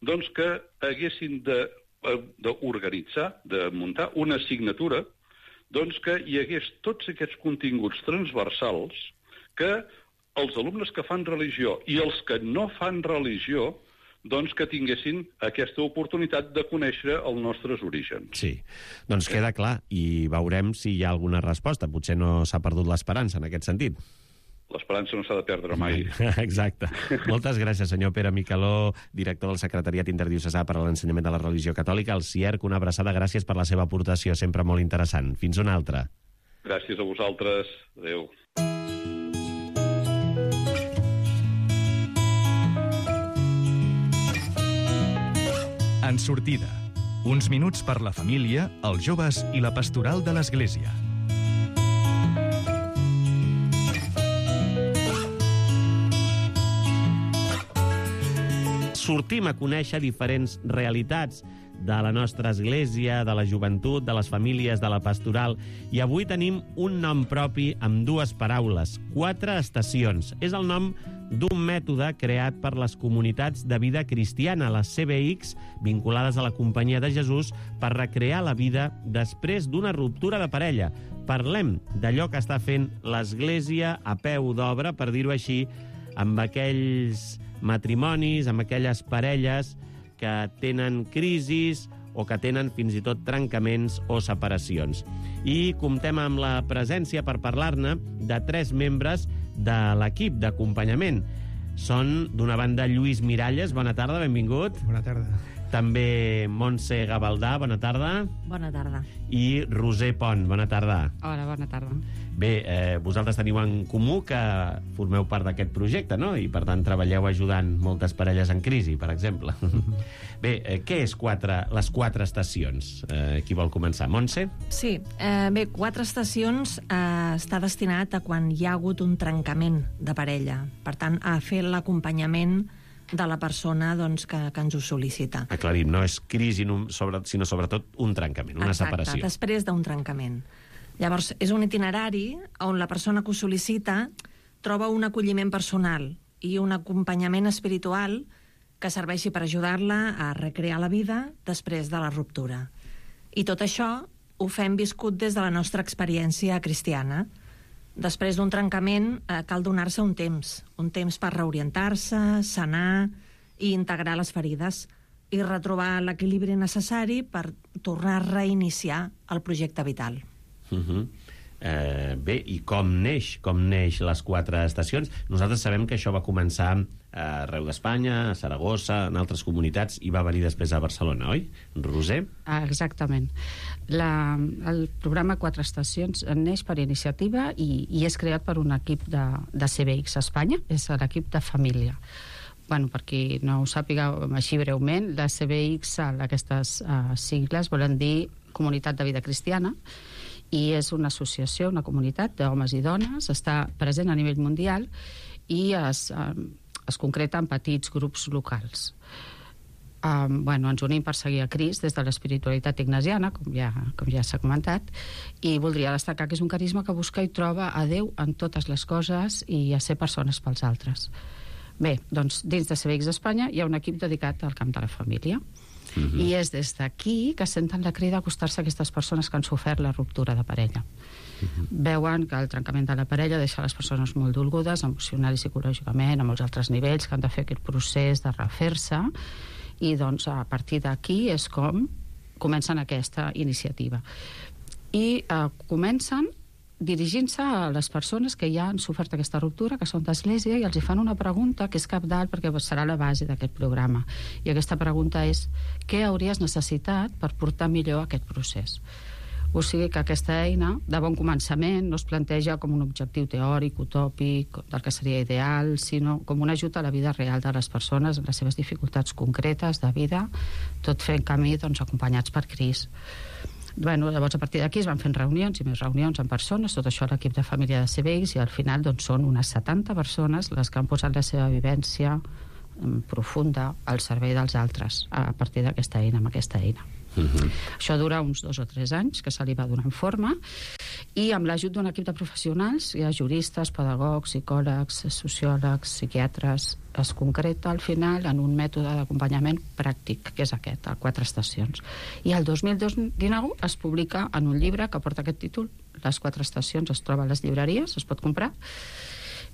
doncs que haguessin d'organitzar, de, de muntar una assignatura, doncs que hi hagués tots aquests continguts transversals que els alumnes que fan religió i els que no fan religió doncs que tinguessin aquesta oportunitat de conèixer els nostres orígens. Sí, doncs queda clar, i veurem si hi ha alguna resposta. Potser no s'ha perdut l'esperança en aquest sentit. L'esperança no s'ha de perdre mai. Exacte. Moltes gràcies, senyor Pere Micaló, director del Secretariat Interdiocesà per a l'Ensenyament de la Religió Catòlica, el C I E R C. Una abraçada, gràcies per la seva aportació, sempre molt interessant. Fins una altra. Gràcies a vosaltres. Adéu. En sortida, uns minuts per la família, els joves i la pastoral de l'Església. Sortim a conèixer diferents realitats de la nostra església, de la joventut, de les famílies, de la pastoral. I avui tenim un nom propi amb dues paraules, quatre estacions. És el nom d'un mètode creat per les comunitats de vida cristiana, les C B X, vinculades a la Companyia de Jesús, per recrear la vida després d'una ruptura de parella. Parlem d'allò que està fent l'Església a peu d'obra, per dir-ho així, amb aquells matrimonis, amb aquelles parelles que tenen crisis o que tenen fins i tot trencaments o separacions. I comptem amb la presència, per parlar-ne, de tres membres de l'equip d'acompanyament. Són, d'una banda, Lluís Miralles. Bona tarda, benvingut. Bona tarda. També Montse Gavaldà, bona tarda. Bona tarda. I Roser Pont, bona tarda. Hola, bona tarda. Bé, eh, vosaltres teniu en comú que formeu part d'aquest projecte, no? I, per tant, treballeu ajudant moltes parelles en crisi, per exemple. Bé, eh, què és quatre, les quatre estacions? Eh, qui vol començar? Montse? Sí, eh, bé, quatre estacions eh, està destinat a quan hi ha hagut un trencament de parella. Per tant, a fer l'acompanyament de la persona doncs, que, que ens ho sol·licita. Aclarim, no és crisi, sobre, sinó sobretot un trencament, una Exacte, separació. Després d'un trencament. Llavors, és un itinerari on la persona que ho sol·licita troba un acolliment personal i un acompanyament espiritual que serveixi per ajudar-la a recrear la vida després de la ruptura. I tot això ho fem viscut des de la nostra experiència cristiana. Després d'un trencament eh, cal donar-se un temps, un temps per reorientar-se, sanar i integrar les ferides i retrobar l'equilibri necessari per tornar a reiniciar el projecte vital. Uh -huh. eh, bé, i com neix? Com neix les quatre estacions? Nosaltres sabem que això va començar arreu d'Espanya, a Saragossa, en altres comunitats, i va venir després a Barcelona, oi? Roser? Ah, exactament. La, el programa Quatre Estacions neix per iniciativa i, i és creat per un equip de, de C B X a Espanya, és l'equip de família. Bueno, per qui no ho sàpiga així breument, la C B X, aquestes uh, sigles, volen dir Comunitat de Vida Cristiana, i és una associació, una comunitat d'homes i dones, està present a nivell mundial i es, uh, es concreta en petits grups locals. Um, bueno, ens unim per seguir a Crist des de l'espiritualitat ignasiana, com ja, com ja s'ha comentat, i voldria destacar que és un carisma que busca i troba a Déu en totes les coses i a ser persones pels altres. Bé, doncs dins de C B X Espanya hi ha un equip dedicat al camp de la família. Uh-huh. I és des d'aquí que senten la crida a acostar-se a aquestes persones que han sofert la ruptura de parella. Uh-huh. Veuen que el trencament de la parella deixa les persones molt dolgudes, emocional i psicològicament, a molts altres nivells, que han de fer aquest procés de refer-se, i doncs a partir d'aquí és com comencen aquesta iniciativa. I eh, comencen dirigint-se a les persones que ja han sofert aquesta ruptura, que són d'església, i els hi fan una pregunta que és cabdal perquè serà la base d'aquest programa. I aquesta pregunta és: què hauries necessitat per portar millor aquest procés? O sigui que aquesta eina, de bon començament, no es planteja com un objectiu teòric, utòpic, del que seria ideal, sinó com un ajut a la vida real de les persones, en les seves dificultats concretes de vida, tot fent camí doncs, acompanyats per Crist. Bueno, llavors a partir d'aquí es van fent reunions i més reunions en persones, tot això a l'equip de família de C B X, i al final doncs, són unes setanta persones les que han posat la seva vivència profunda al servei dels altres a partir d'aquesta eina, amb aquesta eina. Uh-huh. Això dura uns dos o tres anys que se li va donant forma, i amb l'ajut d'un equip de professionals, hi ha juristes, pedagogs, psicòlegs, sociòlegs, psiquiatres, es concreta al final en un mètode d'acompanyament pràctic, que és aquest, a Quatre Estacions. I el dos mil dinou es publica en un llibre que porta aquest títol, Les Quatre Estacions, es troba a les llibreries, es pot comprar,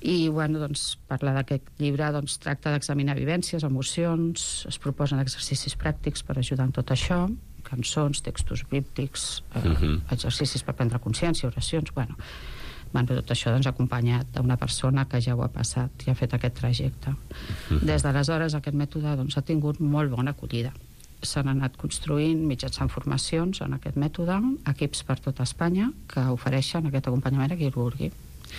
i bueno, doncs, parla d'aquest llibre, doncs, tracta d'examinar vivències, emocions, es proposen exercicis pràctics per ajudar en tot això, cançons, textos bíblics, eh, uh-huh. exercicis per prendre consciència, oracions, bueno, bueno tot això doncs, acompanyat d'una persona que ja ho ha passat i ha fet aquest trajecte. Uh-huh. Des d'aleshores aquest mètode doncs, ha tingut molt bona acollida. S'han anat construint mitjançant formacions en aquest mètode, equips per tota Espanya que ofereixen aquest acompanyament a qui el vulgui.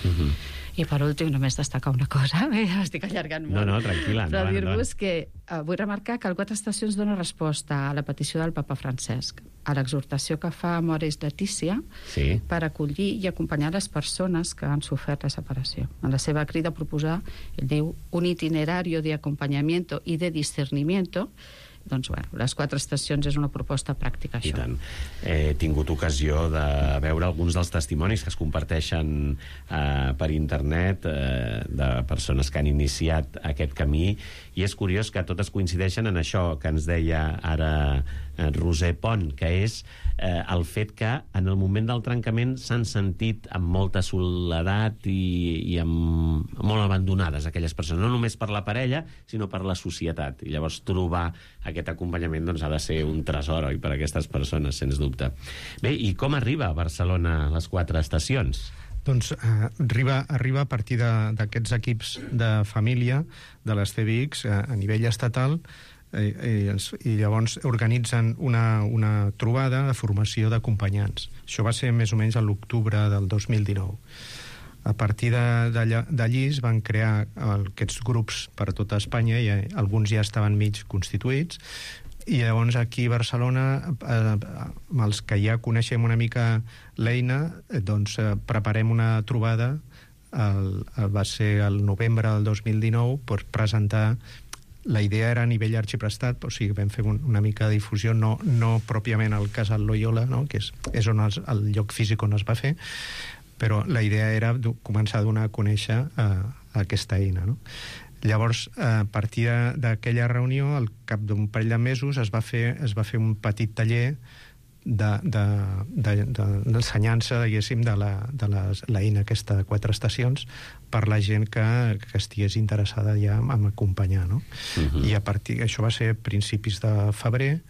Uh-huh. I per últim només destacar una cosa, estic allargant molt, no, no, tranquil·la, però no, dir-vos no. que uh, vull remarcar que el Quatre Estacions dona resposta a la petició del papa Francesc, a l'exhortació que fa Amoris Laetitia, sí, per acollir i acompanyar les persones que han sofert la separació. En la seva crida a proposar, ell diu, un itinerario de acompañamiento y de discernimiento. Doncs, bueno, les Quatre Estacions és una proposta pràctica, això. I tant. He tingut ocasió de veure alguns dels testimonis que es comparteixen eh, per internet eh, de persones que han iniciat aquest camí, i és curiós que totes coincideixen en això que ens deia ara Roser Pont, que és eh, el fet que en el moment del trencament s'han sentit amb molta soledat i, i amb, molt abandonades aquelles persones, no només per la parella, sinó per la societat. I llavors trobar aquest acompanyament doncs, ha de ser un tresor, oi, per a aquestes persones, sens dubte. Bé, i com arriba a Barcelona les quatre estacions? Doncs eh, arriba, arriba a partir d'aquests equips de família de les C B X eh, a nivell estatal, eh, i, i llavors organitzen una, una trobada de formació d'acompanyants. Això va ser més o menys a l'octubre del dos mil dinou. A partir d'allí es van crear aquests grups per a tota Espanya, i alguns ja estaven mig constituïts, i llavors aquí a Barcelona, eh, amb els que ja coneixem una mica l'eina, eh, doncs eh, preparem una trobada, el, el, va ser el novembre del dos mil dinou, per presentar. La idea era a nivell arxiprestat, o sigui, vam fer un, una mica de difusió, no, no pròpiament al Casal Loyola, no? Que és, és on els, el lloc físic on es va fer, però la idea era començar a donar a conèixer eh, aquesta eina, no? Llavors, a partir d'aquella reunió, al cap d'un parell de mesos, es va fer, es va fer un petit taller d'ensenyança, de, de, de, diguéssim, de la, de les, l'eina aquesta de quatre estacions per la gent que, que estigués interessada ja en acompanyar, no? Uh-huh. I a partir, això va ser principis de febrer,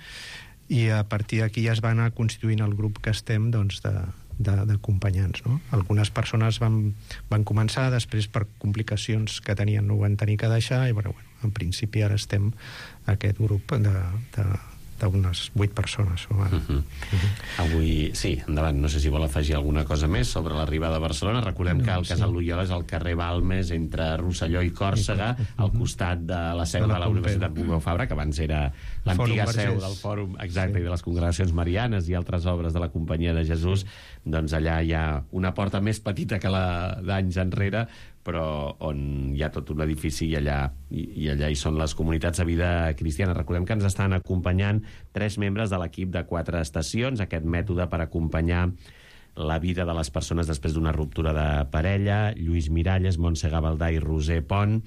i a partir d'aquí ja es va anar constituint el grup que estem, doncs, de d'acompanyants, no? Algunes persones van, van començar, després per complicacions que tenien no ho van tenir que deixar, i bueno, bueno, en principi ara estem aquest grup de, de, d'unes vuit persones. O ara. Uh-huh. Uh-huh. Avui, sí, endavant, no sé si vol afegir alguna cosa més sobre l'arribada a Barcelona. Recordem no, que el Casal sí. Loyola és al carrer Balmes, entre Rosselló i Còrsega, uh-huh. al costat de la seu de la, de la Universitat Pompeu Fabra, que abans era l'antiga seu del Fòrum, exacte, sí. i de les Congregacions Marianes i altres obres de la Companyia de Jesús. Doncs allà hi ha una porta més petita que la d'anys enrere, però on hi ha tot un edifici, i allà, i, i allà hi són les comunitats de vida cristiana. Recordem que ens estan acompanyant tres membres de l'equip de quatre estacions, aquest mètode per acompanyar la vida de les persones després d'una ruptura de parella: Lluís Miralles, Montse Gavaldà i Roser Pont.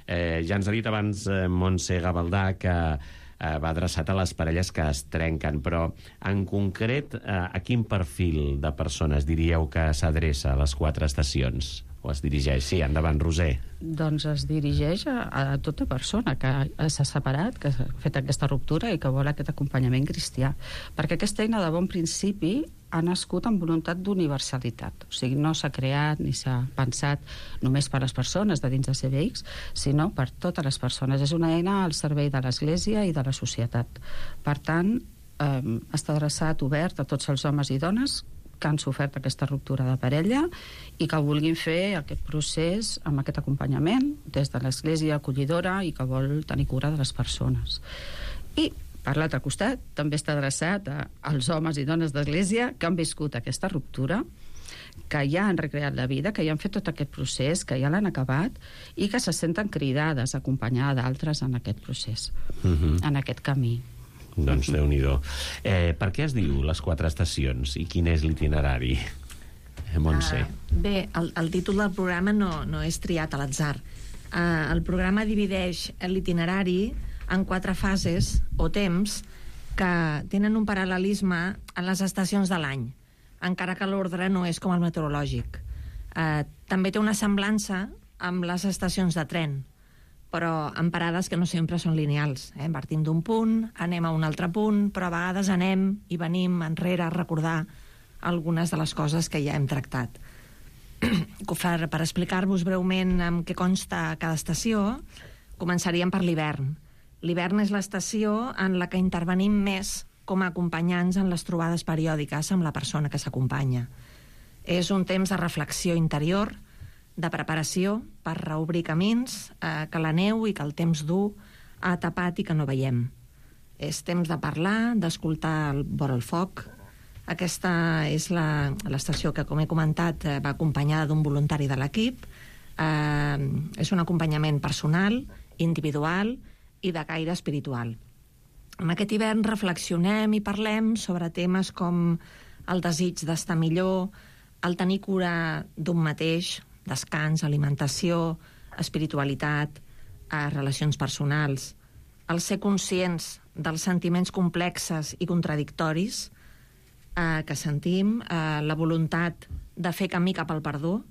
Eh, ja ens ha dit abans eh, Montse Gavaldà que eh, va adreçat a les parelles que es trenquen, però en concret eh, a quin perfil de persones diríeu que s'adreça a les quatre estacions? O es dirigeix? Sí, endavant, Roser. Doncs es dirigeix a, a tota persona que s'ha separat, que ha fet aquesta ruptura i que vol aquest acompanyament cristià. Perquè aquesta eina de bon principi ha nascut amb voluntat d'universalitat. O sigui, no s'ha creat ni s'ha pensat només per a les persones de dins de C B X, sinó per totes les persones. És una eina al servei de l'Església i de la societat. Per tant, eh, està adreçat, obert a tots els homes i dones que han sofert aquesta ruptura de parella i que vulguin fer aquest procés amb aquest acompanyament des de l'Església acollidora i que vol tenir cura de les persones. I, per l'altre costat, també està adreçat a, als homes i dones d'Església que han viscut aquesta ruptura, que ja han recreat la vida, que ja han fet tot aquest procés, que ja l'han acabat i que se senten cridades a acompanyar d'altres en aquest procés, uh-huh. en aquest camí. Doncs Déu-n'hi-do. Eh, per què es diu les quatre estacions i quin és l'itinerari? Eh, Montse. Uh, bé, el, el títol del programa no, no és triat a l'atzar. Uh, el programa divideix l'itinerari en quatre fases o temps que tenen un paral·lelisme en les estacions de l'any, encara que l'ordre no és com el meteorològic. Uh, també té una semblança amb les estacions de tren, però amb parades que no sempre són lineals. Eh? Partim d'un punt, anem a un altre punt, però a vegades anem i venim enrere a recordar algunes de les coses que ja hem tractat. Per, per explicar-vos breument en què consta cada estació, començaríem per l'hivern. L'hivern és l'estació en la que intervenim més com a acompanyants en les trobades periòdiques amb la persona que s'acompanya. És un temps de reflexió interior, de preparació per reobrir camins eh, que la neu i que el temps dur ha tapat i que no veiem. És temps de parlar, d'escoltar el vora el foc. Aquesta és la, l'estació que, com he comentat, eh, va acompanyada d'un voluntari de l'equip. Eh, és un acompanyament personal, individual i de caire espiritual. En aquest hivern reflexionem i parlem sobre temes com el desig d'estar millor, el tenir cura d'un mateix, descans, alimentació, espiritualitat, eh, relacions personals, el ser conscients dels sentiments complexes i contradictoris eh, que sentim, eh, la voluntat de fer camí cap al perdó,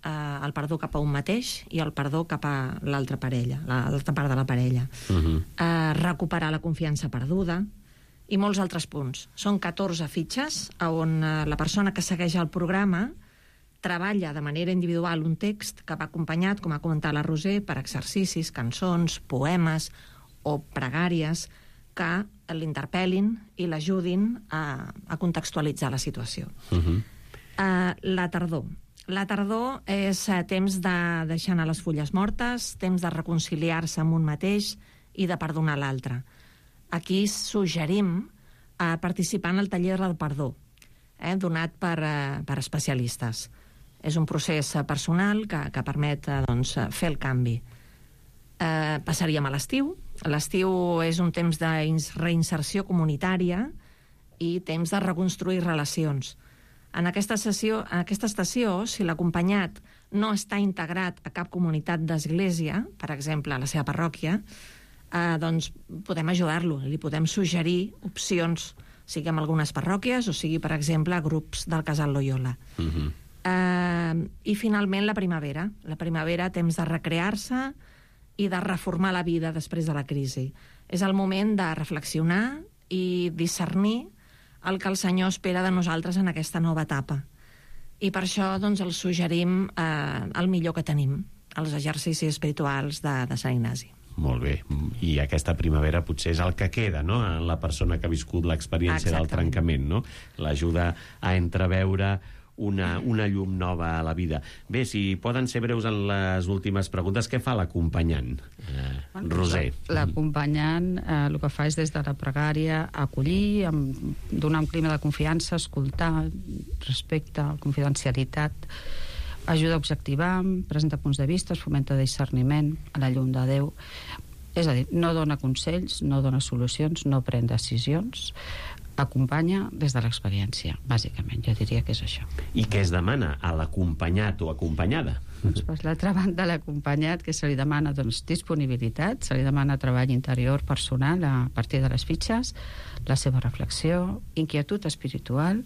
eh, el perdó cap a un mateix i el perdó cap a l'altra parella, l'altra part de la parella. Uh-huh. Eh, recuperar la confiança perduda i molts altres punts. Són catorze fitxes on eh, la persona que segueix el programa treballa de manera individual un text que va acompanyat, com ha comentat la Roser, per exercicis, cançons, poemes o pregàries que l'interpel·lin i l'ajudin a, a contextualitzar la situació. Uh-huh. uh, la tardor. La tardor és uh, temps de deixar anar les fulles mortes, temps de reconciliar-se amb un mateix i de perdonar l'altre. Aquí suggerim uh, participar en el taller del perdó, eh, donat per, uh, per especialistes. És un procés uh, personal que, que permet uh, doncs, fer el canvi. Uh, passaríem a l'estiu. L'estiu és un temps de reinserció comunitària i temps de reconstruir relacions. En aquesta, sessió, en aquesta estació, si l'acompanyat no està integrat a cap comunitat d'església, per exemple, a la seva parròquia, eh, doncs podem ajudar-lo, li podem suggerir opcions, sigui en algunes parròquies o sigui, per exemple, a grups del Casal Loyola. Uh-huh. eh, I, finalment, la primavera. La primavera, temps de recrear-se i de reformar la vida després de la crisi. És el moment de reflexionar i discernir el que el Senyor espera de nosaltres en aquesta nova etapa. I per això doncs, els suggerim eh, el millor que tenim, els exercicis espirituals de, de Sant Ignasi. Molt bé. I aquesta primavera potser és el que queda, no?, en la persona que ha viscut l'experiència del trencament, no? L'ajuda a entreveure una, una llum nova a la vida. Bé, si poden ser breus en les últimes preguntes, què fa l'acompanyant? Eh, Roser. L'acompanyant eh, el que fa és des de la pregària acollir, amb, donar un clima de confiança, escoltar, respecte, confidencialitat, ajuda a objectivar, presenta punts de vista, fomenta discerniment a la llum de Déu. És a dir, no dona consells, no dona solucions, no pren decisions, acompanya des de l'experiència, bàsicament. Jo diria que és això. I què es demana a l'acompanyat o acompanyada? Doncs per l'altra banda, l'acompanyat, que se li demana doncs, disponibilitat, se li demana treball interior personal a partir de les fitxes, la seva reflexió, inquietud espiritual,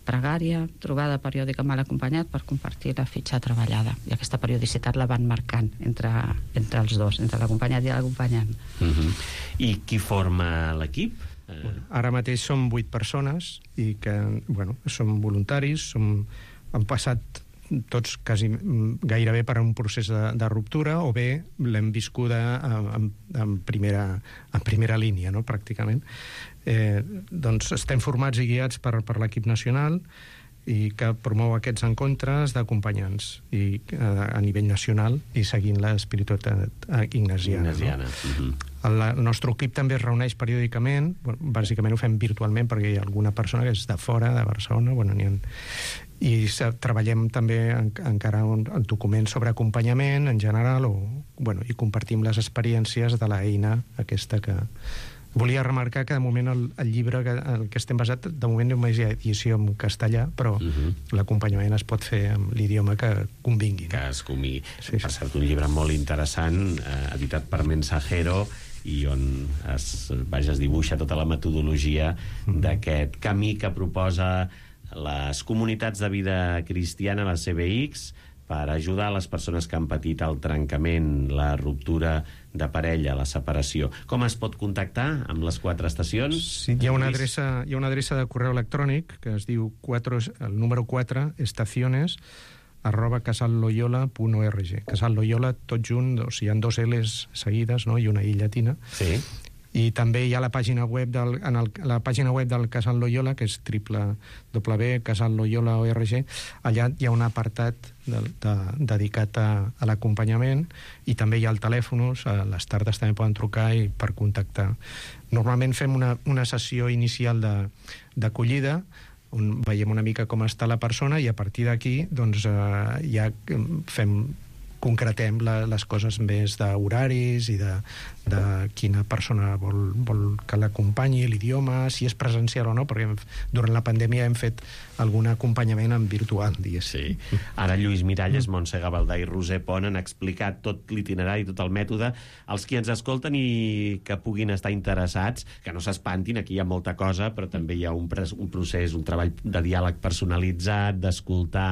pregària, trobada periòdica amb l'acompanyat per compartir la fitxa treballada. I aquesta periodicitat la van marcant entre, entre els dos, entre l'acompanyat i l'acompanyant. Uh-huh. I qui forma l'equip? Bueno, ara mateix som vuit persones i que, bueno, som voluntaris, som, han passat tots quasi gairebé per un procés de, de ruptura o bé l'hem viscuda en, en, primera, en primera línia, no?, pràcticament. Eh, doncs estem formats i guiats per, per l'equip nacional i que promou aquests encontres d'acompanyants i a, a nivell nacional i seguint l'espiritualitat ignasiana. ignasiana. No? Uh-huh. El, el nostre equip també es reuneix periòdicament, bueno, bàsicament ho fem virtualment perquè hi ha alguna persona que és de fora, de Barcelona, bueno, n'hi ha, i treballem també en, encara un, un document sobre acompanyament en general o, bueno, i compartim les experiències de l'eina aquesta que... Volia remarcar que de moment el, el llibre que, el que estem basat, de moment només hi ha edició en castellà, però uh-huh. l'acompanyament es pot fer amb l'idioma que convingui. Que es convingui. Sí, sí. Per cert, un llibre molt interessant, eh, editat per Mensajero, i on es, vaja, es dibuixa tota la metodologia uh-huh. d'aquest camí que proposa les comunitats de vida cristiana, les C B X, per ajudar les persones que han patit el trencament, la ruptura de parella, la separació. Com es pot contactar amb les quatre estacions? Sí, hi ha una adreça, hi ha una adreça de correu electrònic que es diu quatre, el número quatre, estaciones, arroba casalloyola punt org. Casal Loyola, tot junt, o sigui, hi ha dos L's seguides, no?, i una I llatina. Sí. I també hi ha la pàgina web del, en el, la pàgina web del Casal Loyola, que és w w w punt casal loyola punt org. Allà hi ha un apartat de, de, dedicat a, a l'acompanyament i també hi ha el telèfon, a les tardes també poden trucar i per contactar. Normalment fem una, una sessió inicial d'acollida on veiem una mica com està la persona i a partir d'aquí doncs, eh, ja fem... concretem la, les coses més d'horaris i de, de quina persona vol, vol que l'acompanyi, l'idioma, si és presencial o no, perquè durant la pandèmia hem fet algun acompanyament en virtual, diguéssim. Sí. Ara Lluís Miralles, Montse Gavaldà i Roser Pont han explicat tot l'itinerari, tot el mètode. Els qui ens escolten i que puguin estar interessats, que no s'espantin, aquí hi ha molta cosa, però també hi ha un, un procés, un treball de diàleg personalitzat, d'escoltar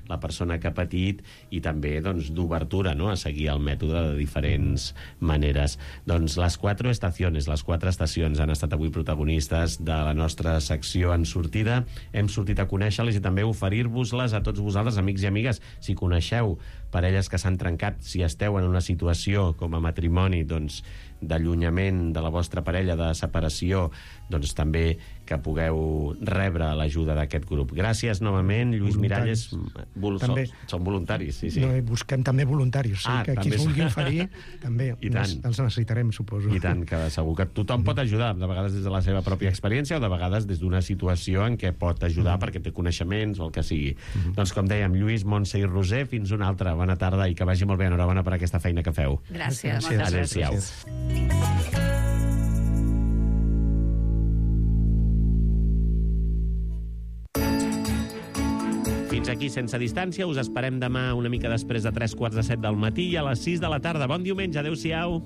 la persona que ha patit i també doncs, d'obertura, no?, a seguir el mètode de diferents maneres. Doncs les quatre estacions, les quatre estacions han estat avui protagonistes de la nostra secció En Sortida. Hem sortit a conèixer-les i també oferir-vos-les a tots vosaltres, amics i amigues. Si coneixeu parelles que s'han trencat, si esteu en una situació com a matrimoni, doncs, d'allunyament de la vostra parella, de separació, doncs també que pugueu rebre l'ajuda d'aquest grup. Gràcies novament, Lluís Miralles. Vol... També... Són, són voluntaris, sí, sí. No, busquem també voluntaris, sí, ah, que qui es vulgui oferir també els necessitarem, suposo. I tant, que segur que tothom pot ajudar, de vegades des de la seva pròpia experiència o de vegades des d'una situació en què pot ajudar mm. perquè té coneixements o el que sigui. Mm. Doncs com dèiem, Lluís, Montse i Roser, fins una altra. Bona tarda i que vagi molt bé. Enhorabona per aquesta feina que feu. Gràcies. Gràcies. Adéu-siau. Fins aquí Sense Distància. Us esperem demà una mica després de tres quarts de set del matí i a les sis de la tarda. Bon diumenge. Adéu-siau.